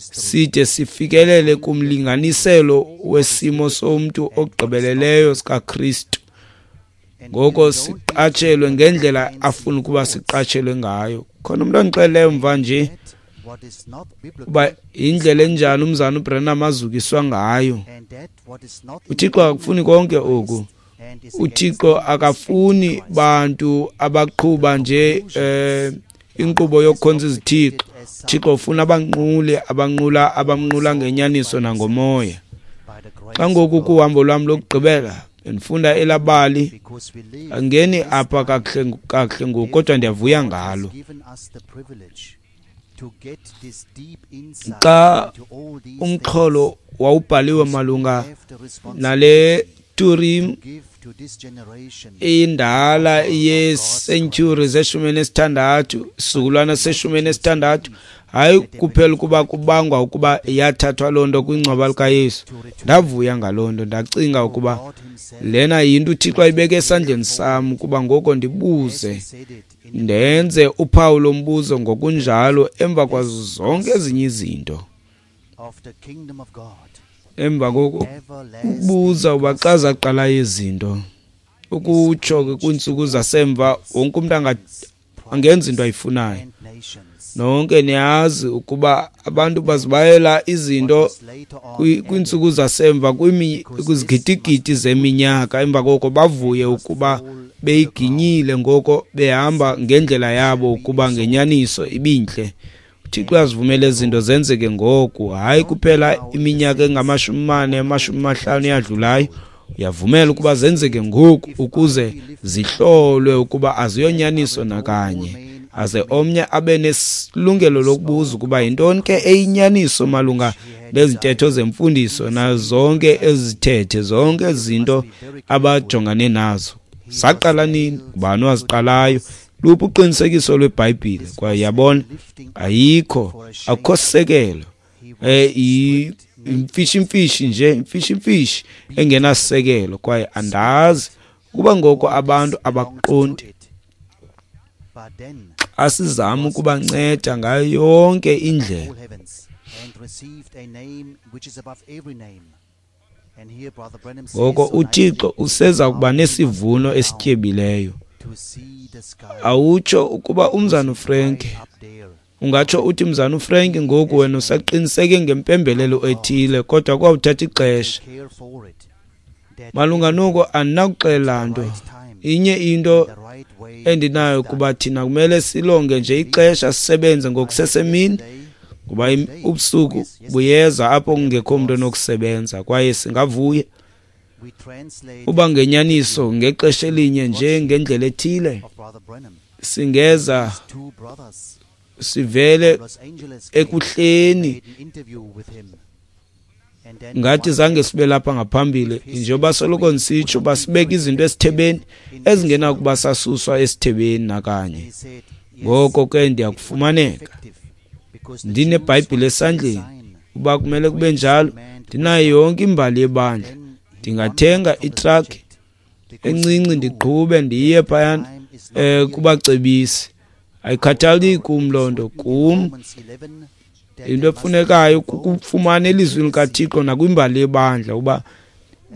side sifikelele kumlinganiselo wesimo somntu ogqibeleleyo sikaKristu. Ngoko siqatshelwe ngendlela afuna ukuba siqatshelwe ngayo. Khona umntu ondixeleleyo mva nje uba yindlela enjani umzana uBranham azukiswa ngayo. uThixo akafuni konke oku. uThixo akafuni bantu abaqhuba nje inkqubo yokukhonza izithixo. uThixo ufuna abanquli abanqula abamnqula ngenyaniso nangomoya. Xa ngoku kuhambo lwam lokugqibela ndifunda elabali, angeni apha kakuhle ngoku, kodwa ndiyavuya ngalo. Xa umxholo wawubhaliwe malunga nale Turim indala yesentyhuri ze-16, isizukulwana se-16, hayi kuphela ukuba kubangwa ukuba yathathwa loo nto kwingcwaba likaYesu. Ndavuya ngaloo nto, ndacinga ukuba lena yinto uThixo ayibeke esandleni sam, ukuba ngoko ndibuze, ndenze uphawu lombuzo ngokunjalo emva kwazo zonke ezinye izinto. Emva koko ukubuza uba xa zaqala izinto, ukutsho ke kwiintsuku zasemva wonke umntu angenza into ayifunayo. Nonke niyazi ukuba abantu bazibayela izinto kwiintsuku zasemva kwizigidigidi zeminyaka, emva koko bavuye ukuba beyiginyile, ngoko behamba ngendlela yabo ukuba ngenyaniso ibintle. uThixo uyazivumela izinto zenzeke ngoku, hayi kuphela iminyaka engama-40, 50 eyadlulayo. Uyavumela ukuba zenzeke ngoku ukuze zihlolwe ukuba aziyonyaniso nakanye, aze omnye abe nesilungelo lokubuza ukuba yintoni ke eyinyaniso malunga nezintetho zemfundiso nazo zonke ezithethe, zonke izinto abajongane nazo. Zaqala nini? Ngubani owaziqalayo? Luphi uqinisekiso lweBhayibhile? Kwaye yabona, ayikho, akukho sisekelo. Imfishi-mfishi nje, imfishi-mfishi engenasisekelo. Kwaye andazi ukuba ngoko abantu abaqondi. Asizame ukubanceda ngayo yonke indlela. Ngoko uThixo useza kuba nesivuno esityebileyo. Awutsho ukuba umzana uFrank, ungatsho uthi mzana uFrank ngoku wena usaqiniseke ngempembelelo ethile, kodwa kwawuthatha ixesha. Malunga noko andinakuxelela nto. Inye into endinayo kuba thina kumele silonge nje ixesha sisebenze ngokusesemini, ngoba ubusuku buyeza apho kungekho mntu onokusebenza, kwaye singavuya uba ngenyaniso ngexesha elinye nje ngendlela ethile singeza sivele ekuhleni ngathi zange sibe lapha ngaphambili. Njengoba soloko ndisitsho, basibeka izinto esithebeni ezingenakuba sasuswa esithebeni nakanye. Ngoko ke ndiyakufumaneka ndineBhayibhile esandleni, uba kumele kube njalo, ndinayo yonke imbali yebandla. Ndingathenga itraki encinci ndiqhube ndiye phayana kubacebisi. Ayikhathali kum loo nto. Kum into efunekayo kukufumana elizwini likaThixo nakwimbali yebandla, uba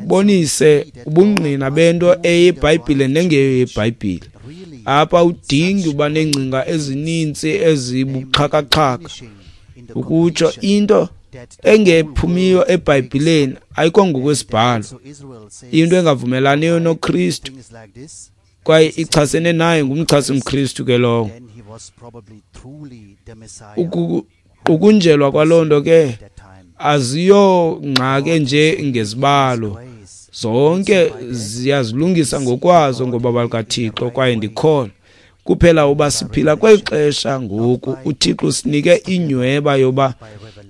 bonise ubungqina bento eyeBhayibhile nengeyo yeBhayibhile. Apha udingi uba neengcinga ezininzi ezibuxhakaxhaka ukutsho into engephumiyo eBhayibhileni ayikho ngokwesibhalo, into engavumelaniyo noKristu kwaye ichasene naye ngumchasi mKristu ke lowo. Ukuqukunjelwa kwaloo nto ke aziyongxaki nje ngezibalo, zonke ziyazilungisa ngokwazo ngobaba lukaThixo. Kwaye ndikholwa kuphela uba siphila kweli xesha ngoku uThixo usinike inyweba yoba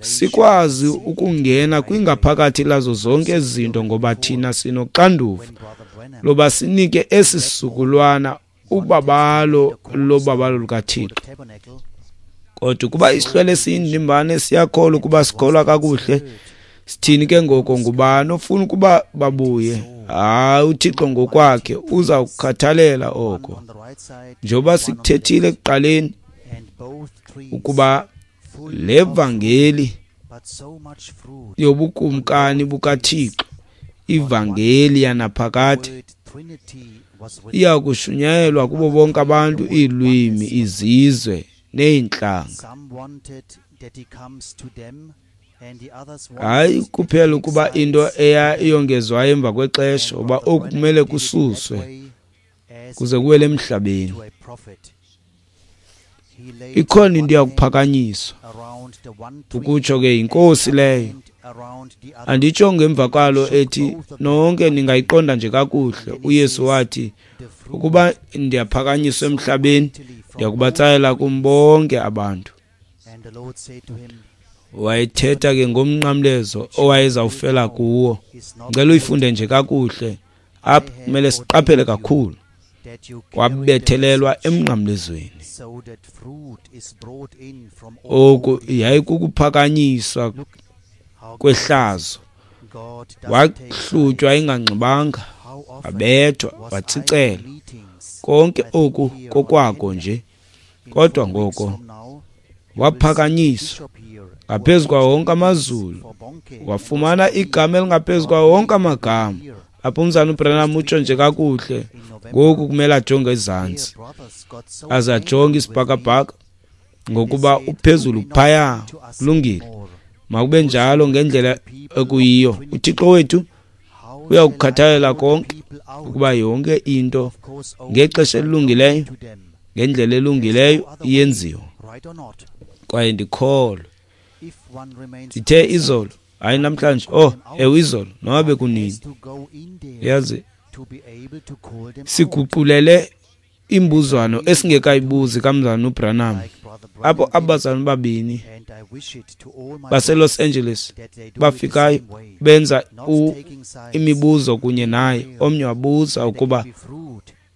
sikwazi ukungena kwingaphakathi lazo zonke ezi zinto, ngoba thina sinoxanduva loba sinike esi sizukulwana ubabalo lobabalo lukaThixo. Kodwa ukuba isihlwele siyindimbane siyakholwa ukuba sikholwa kakuhle, sithini ke ngoko? Ngubani ofuna ukuba babuye? Hayi, uThixo ngokwakhe uza kukhathalela oko. Njengoba sikuthethile ekuqaleni ukuba le vangeli yobukumkani bukaThixo, ivangeli yanaphakade, iya kushunyayelwa kubo bonke abantu, iilwimi, izizwe neentlanga. Hayi kuphela ukuba into eyongezwayo emva kwexesha, uba oku kumele kususwe kuze kuwele emhlabeni. Ikhona into iyakuphakanyiswa, ukutsho ke yinkosi leyo. Anditsho ngemva kwalo ethi nonke ningayiqonda nje kakuhle. uYesu wathi, ukuba ndiyaphakanyiswa emhlabeni, ndiyakubatsalela kum bonke abantu. Wayethetha ke ngomnqamlezo owayezawufela kuwo. Ngicela uyifunde nje kakuhle. Apha kumele siqaphele kakhulu. Wabethelelwa emnqamlezweni. Oku yayikukuphakanyiswa kwehlazo. Wahlutywa enganxibanga, wabethwa, watsicelwa. Konke oku kokwako nje. Kodwa ngoko waphakanyiswa ngaphezu kwawo wonke amazulu, wafumana igama elingaphezu kwawo wonke amagama. Apho umzana uBranham utsho nje kakuhle, ngoku kumele ajonge ezantsi, aze ajonge isibhakabhaka, ngokuba uphezulu phaya. Kulungile, makube njalo ngendlela ekuyiyo. uThixo wethu uyakukhathalela konke, ukuba yonke into ngexesha elilungileyo, ngendlela elungileyo iyenziwa. Kwaye ndikholwa ndithe izolo, hayi namhlanje, ewe izolo, noba bekunini, yazi siguqulele imbuzwano esingekayibuzi kamzana uBranham, apho abazalwane babini baseLos Angeles bafikayo benza imibuzo kunye naye. Omnye wabuza ukuba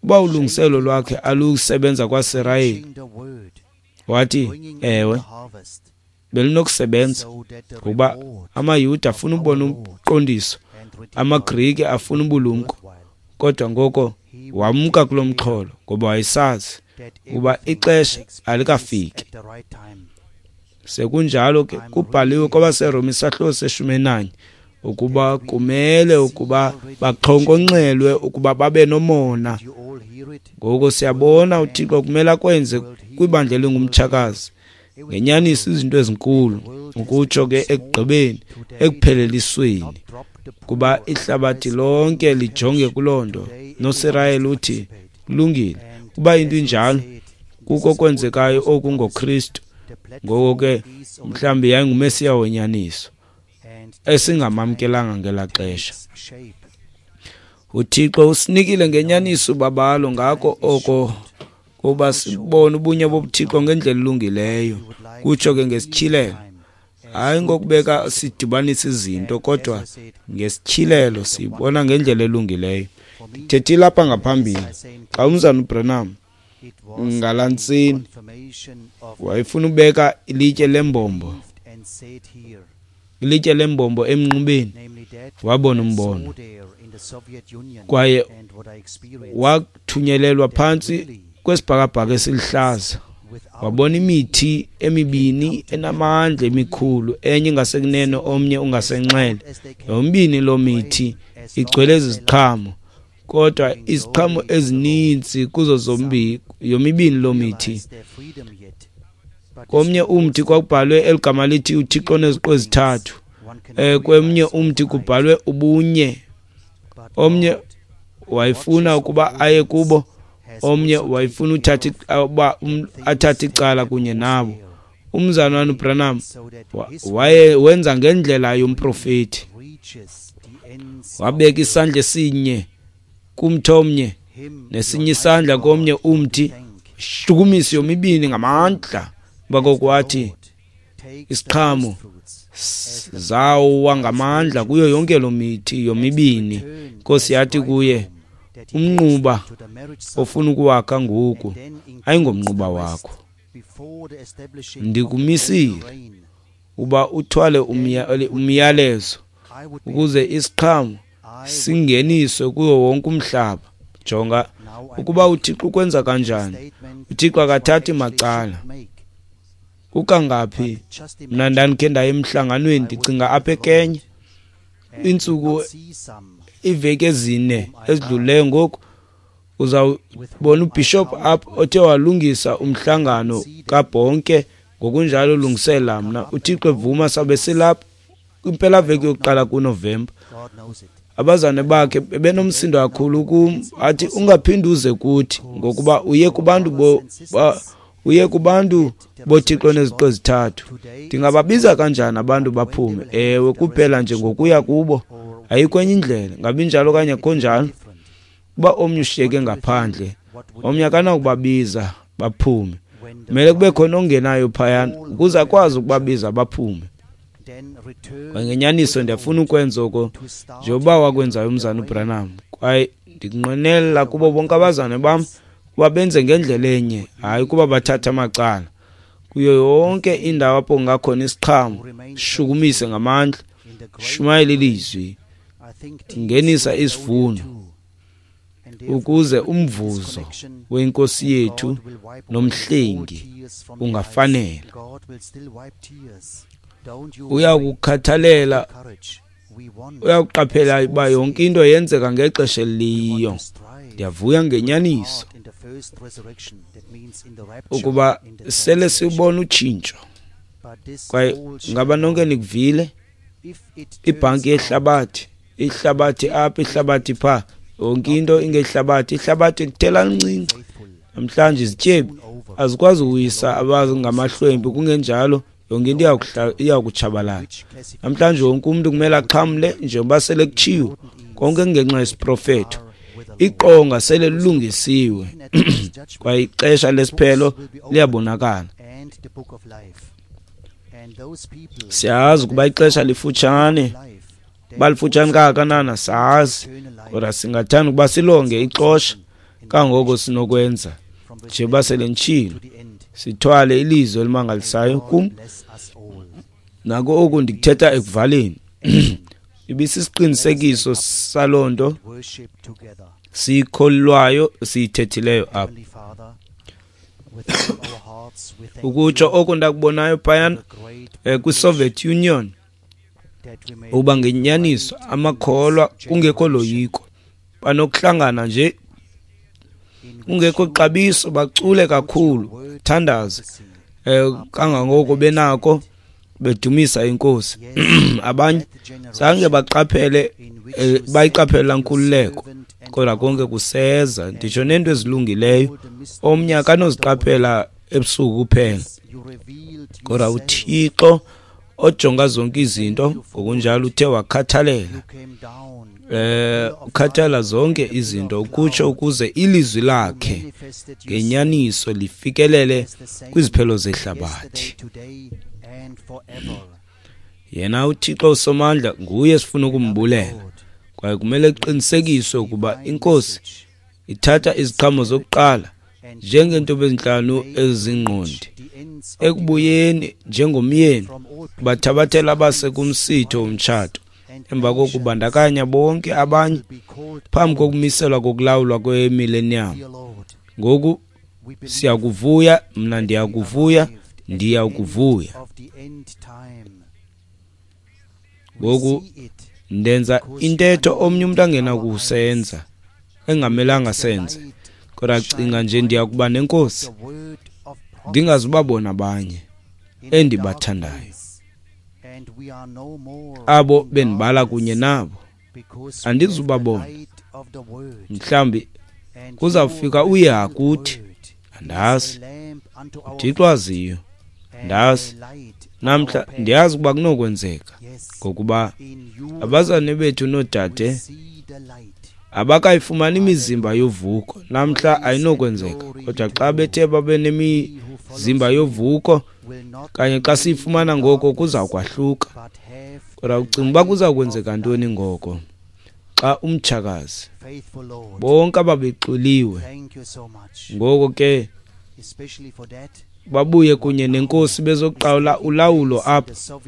uba ulungiselo lwakhe alusebenza kwaSirayeli. Wathi ewe, belinokusebenza, ngokuba amaYuda afuna ubona umqondiso, amaGrike afuna ubulumko. Kodwa ngoko wamka kulo mxholo, ngoba wayesazi ukuba ixesha alikafiki. Sekunjalo ke kubhaliwe kwabaseRoma isahluko se-11 ukuba kumele ukuba baxhonkonxelwe ukuba babe nomona. Ngoko siyabona uThixo kumele akwenze kwibandla elingumtshakazi ngenyaniso izinto ezinkulu, ukutsho ke ekugqibeni, ekuphelelisweni. Kuba ihlabathi lonke lijonge kuloo nto, noSirayeli uthi, kulungile, kuba into injalo, kuko kwenzekayo oku ngoKristu. Ngoko ke mhlawumbi yayinguMesiya wenyaniso esingamamkelanga ngelaa xesha. UThixo usinikile ngenyaniso ubabalo ngako oko kuba sibone ubunye bobuThixo ngendlela elungileyo, kutsho ke ngesityhilelo. Hayi ngokubeka sidibanise izinto, kodwa ngesityhilelo siyibona ngendlela elungileyo. Ndithethile apha ngaphambili xa umzana uBranham ngalaa ntsini wayefuna ubeka ilitye lembombo, ilitye lembombo emnqubeni, wabona umbono kwaye wathunyelelwa phantsi kwesibhakabhaka esiluhlaza. Wabona imithi emibini enamandla emikhulu, enye ingasekunene omnye ungasenxele. Yomibini loo mithi igcwele iziqhamo, kodwa iziqhamo ezininzi kuzo zombini yomibini loo mithi. Komnye umthi kwakubhalwe eligama lithi uThixo oneziqu ezithathu, kwemnye umthi kubhalwe ubunye. Omnye wayefuna ukuba aye kubo, omnye wayefuna uthatha athathe icala kunye nabo. Umzalwana uBranham waye wenza ngendlela yomprofeti, wabeka isandla esinye kumthi omnye nesinye isandla komnye umthi, shukumisa yomibini ngamandla. Emva wathi isiqhamo zawa ngamandla kuyo yonke loo mithi yomibini. Inkosi yathi kuye, umnquba ofuna ukuwakha ngoku ayingomnquba wakho, ndikumisile uba uthwale umyalezo ukuze isiqhamo singeniswe kuwo wonke umhlaba. Jonga ukuba uThixo ukwenza kanjani. uThixo akathathi macala. Kukangaphi mna ndandikhe ndaye emhlanganweni, ndicinga apha eKenya, iintsuku iiveki 4 ezidlulileyo ngoku, uzawubona ubhishophu apha othe walungisa umhlangano kaBonke, ngokunjalo ulungisela mna. uThixo evuma sabe silapha kwimpelaveki yokuqala kuNovemba. Abazane bakhe bebenomsindo kakhulu kum, athi ungaphinde uze kuthi ngokuba uye kubantu uye kubantu boThixo neziqu ezithathu. Ndingababiza kanjani abantu baphume? Ewe, kuphela nje ngokuya kubo, ayikho enye indlela. Ngabi njalo okanye akho njalo? Uba omnye ushiyeke ngaphandle, omnye akanakubabiza baphume. Kumele kube khona ongenayo phayana ukuze akwazi ukubabiza baphume. Kwaye ngenyaniso ndiyafuna ukwenza oko njengoba wakwenzayo umzana uBranham, kwaye ndinqwenela kubo bonke abazane bam kuba benze ngendlela enye, hayi kuba bathatha amacala. Kuyo yonke indawo apho kungakhona isiqhamo, shukumise ngamandla, shumayela ilizwi, ngenisa isivuno, ukuze umvuzo wenkosi yethu nomhlengi ungafanela. Uyakukhathalela, uyakuqaphela uba yonke into yenzeka ngexesha eliyiyo. Ndiyavuya ngenyaniso ukuba sele siwubona utshintsho. Kwaye ngaba nonke nikuvile? Ibhanki yehlabathi, ihlabathi apha, ihlabathi pha, yonke into ingehlabathi. Ihlabathi lithela lincinci namhlanje, izityebi azikwazi uwisa abangamahlwempu, kungenjalo yonke into iyakutshabalala. Namhlanje wonke umntu kumele axhamle njengoba sele kutshiwo, konke kungenxa yesiprofeto. Iqonga sele lilungisiwe kwaye ixesha lesiphelo liyabonakala. Siyazi ukuba ixesha lifutshane, balifutshane kangakanana sazi, kodwa singathanda ukuba silonge ixesha kangoko sinokwenza. Njengoba sele nditshilo, sithwale ilizwi elimangalisayo kum. Nako oku ndikuthetha ekuvaleni. Ibisisiqinisekiso saloo nto siyikholwayo, siyithethileyo apha. Ukutsho oko ndakubonayo phayana kwiSoviet Union, uba ngenyaniso amakholwa kungekho loyiko, banokuhlangana nje kungekho xabiso, bacule kakhulu, thandaze kangangoko benako, Bedumisa inkosi. Abanye zange baqaphele bayiqaphela nkululeko, kodwa konke kuseza, nditsho neento ezilungileyo omnye akanoziqaphela ebusuku kuphela. Kodwa uThixo ojonga zonke izinto ngokunjalo uthe wakhathalela ukhathala zonke izinto ukutsho ukuze ilizwi lakhe ngenyaniso lifikelele kwiziphelo zehlabathi. Yena uThixo uSomandla nguye esifuna ukumbulela, kwaye kumele kuqinisekiswe ukuba inkosi ithatha iziqhamo zokuqala njengeentombi ezintlanu ezingqondi ekubuyeni njengomyeni bathabathela abase kumsitho womtshato emva kokubandakanya bonke abanye phambi kokumiselwa kokulawulwa kwemillennium. Ngoku siyakuvuya, mna ndiyakuvuya, ndiyakuvuya. Ngoku ndenza intetho omnye umntu angenakusenza, engamelanga senze, kodwa cinga nje ndiyakuba nenkosi ndingazubabona abanye endibathandayo, abo bendibala kunye nabo andizubabona. Mhlawumbi kuzawufika uYeha kuthi, andazi, uThixo aziyo, andazi. Namhla ndiyazi ukuba kunokwenzeka, ngokuba abazalwane bethu noodade abakayifumani imizimba yovuko namhla, ayinokwenzeka. Kodwa xa bethe babe nemizimba yovuko, kanye xa siyifumana ngoko kuza kwahluka. Kodwa ucinga uba kuza kwenzeka ntoni ngoko xa umtshakazi bonke ababexwiliwe ngoko ke babuye kunye nenkosi bezoqawula ulawulo apha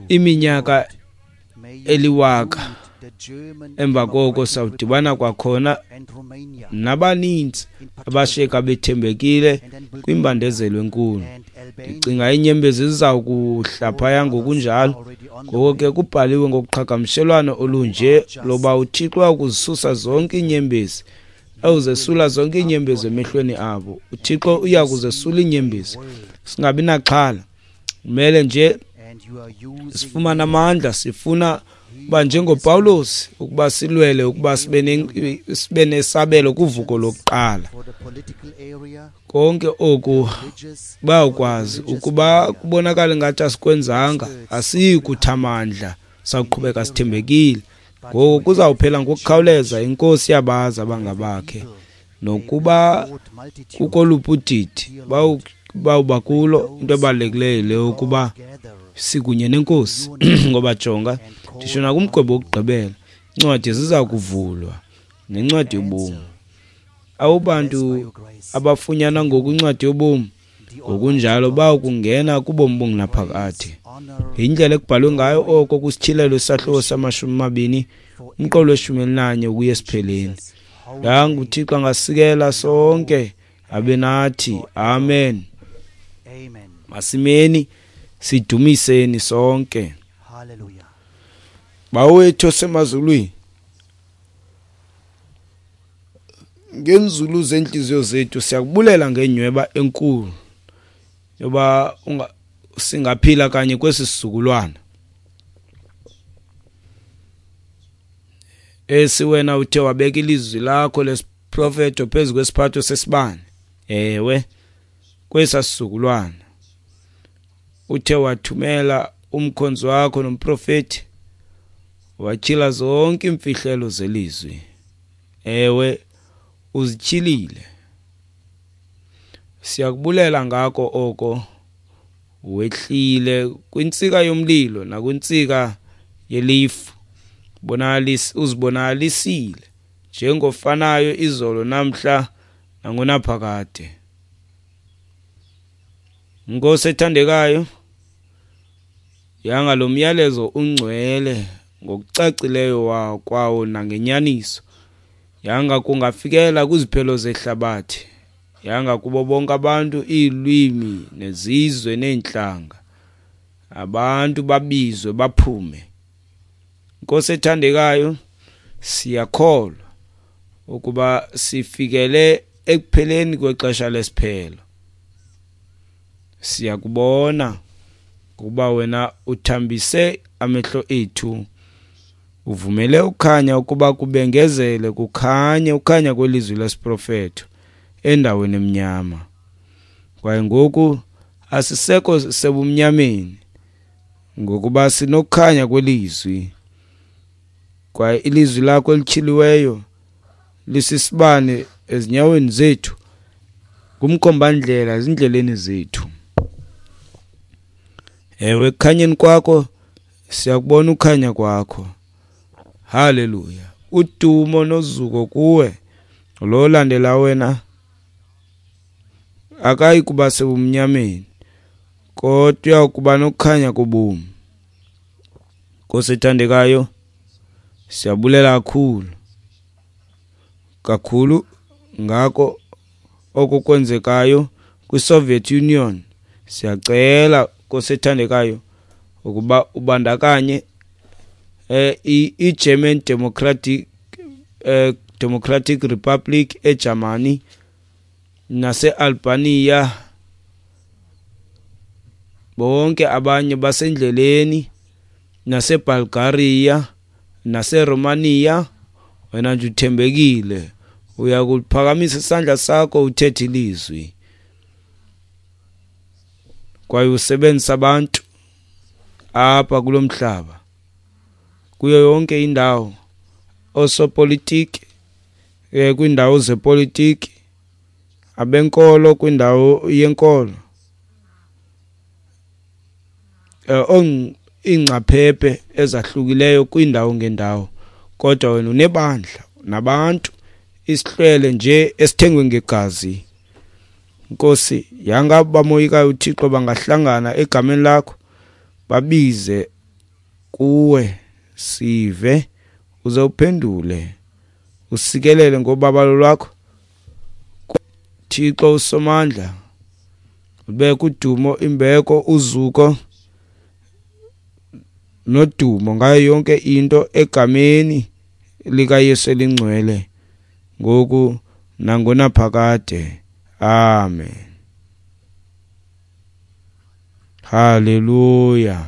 iminyaka eliwaka emva koko sawudibana kwakhona nabaninzi abashiyeka bethembekile kwimbandezelo enkulu. Ndicinga iinyembezi ziza kuhla phaya ngokunjalo. Ngoko ke kubhaliwe ngokuqhagamshelwano olunje loba uThixo uyakuzisusa zonke iinyembezi, awuzesula zonke iinyembezi emehlweni abo. uThixo uyakuzesula iinyembezi, singabi naxhala. Kumele nje sifumane amandla, sifuna uba njengoPawulos ukuba silwele ukuba sibe nesabelo kuvuko lokuqala. Konke oku bayakwazi ukuba kubonakala ngathi asikwenzanga, asiyi kuthamandla, sawuqhubeka sithembekile. Ngoku kuzawuphela ngokukhawuleza, inkosi yabazi abangabakhe, nokuba kukoluphi udidi bawuba kulo. Into ebalulekileyo le ukuba sikunye nenkosi, ngoba jonga nditsho nakumgwebo wokugqibela incwadi ziza kuvulwa nencwadi yobomi. Abo bantu abafunyana ngoku incwadi yobomi ngokunjalo bawukungena kubomi obungunaphakade. Yindlela ekubhalwe ngayo oko kwisityhilelo isahluko sama-20 umqolo we-11 ukuya esipheleni. Yanga uThixo angasikela sonke abe nathi. Amen. Masimeni sidumiseni sonke. Bawo wethu osemazulwini, ngenzulu zentliziyo zethu siyakubulela ngenyweba enkulu yoba singaphila kanye kwesi sizukulwana esi wena uthe wabeka ilizwi lakho lesiprofeto phezu kwesiphatho sesibane. Ewe, kwesa sizukulwana uthe wathumela umkhonzi wakho nomprofeti, watyhila zonke iimfihlelo zelizwi. Ewe, uzityhilile. Siyakubulela ngako oko. Wehlile kwintsika yomlilo nakwintsika yelifu, uzibonakalisile njengofanayo izolo namhla nangonaphakade. Nkosi ethandekayo, yanga lo myalezo ungcwele ngokucacileyo kwawo nangenyaniso, yanga kungafikela kwiziphelo zehlabathi, yanga kubo bonke abantu, iilwimi nezizwe neentlanga, abantu babizwe baphume. Nkosi ethandekayo, siyakholwa ukuba sifikele ekupheleni kwexesha lesiphelo. Siyakubona kuba wena uthambise amehlo ethu, uvumele ukhanya ukuba kubengezele, kukhanye ukhanya kwelizwi lesiprofeto endaweni emnyama. Kwaye ngoku asisekho sebumnyameni, ngokuba sinokukhanya kwelizwi. Kwaye ilizwi lakho elityhiliweyo lisisibane ezinyaweni zethu, ngumkhombandlela ezindleleni zethu. Ewe, ekukhanyeni kwakho siyakubona ukhanya kwakho. Haleluya! Udumo nozuko kuwe. Lo olandela wena akayi kuba sebumnyameni, kodwa uya kuba nokukhanya kobomi. Nkosi ethandekayo, siyabulela kakhulu kakhulu ngako oko kwenzekayo kwiSoviet Union. Siyacela, Nkosi ethandekayo, ukuba ubandakanye iGerman Democratic Republic eJamani naseAlbania, bonke abanye basendleleni, naseBulgaria naseRomania. Wena nje uthembekile, uyakuphakamisa isandla sakho uthethe ilizwi, kwaye usebenzisa abantu apha kulo mhlaba, kuyo yonke indawo, osopolitiki kwindawo zepolitiki, abenkolo kwindawo yenkolo, iingcaphephe ezahlukileyo kwiindawo ngendawo. Kodwa wena unebandla nabantu, isihlwele nje esithengwe ngegazi. Nkosi, yanga bamoyikayo uThixo bangahlangana egameni lakho, babize kuwe, sive, uze uphendule, usikelele ngobabalo lwakho. Thixo usomandla, ubeke udumo, imbeko, uzuko nodumo ngayo yonke into egameni likaYesu elingcwele, ngoku nangonaphakade. Amen. Haleluya.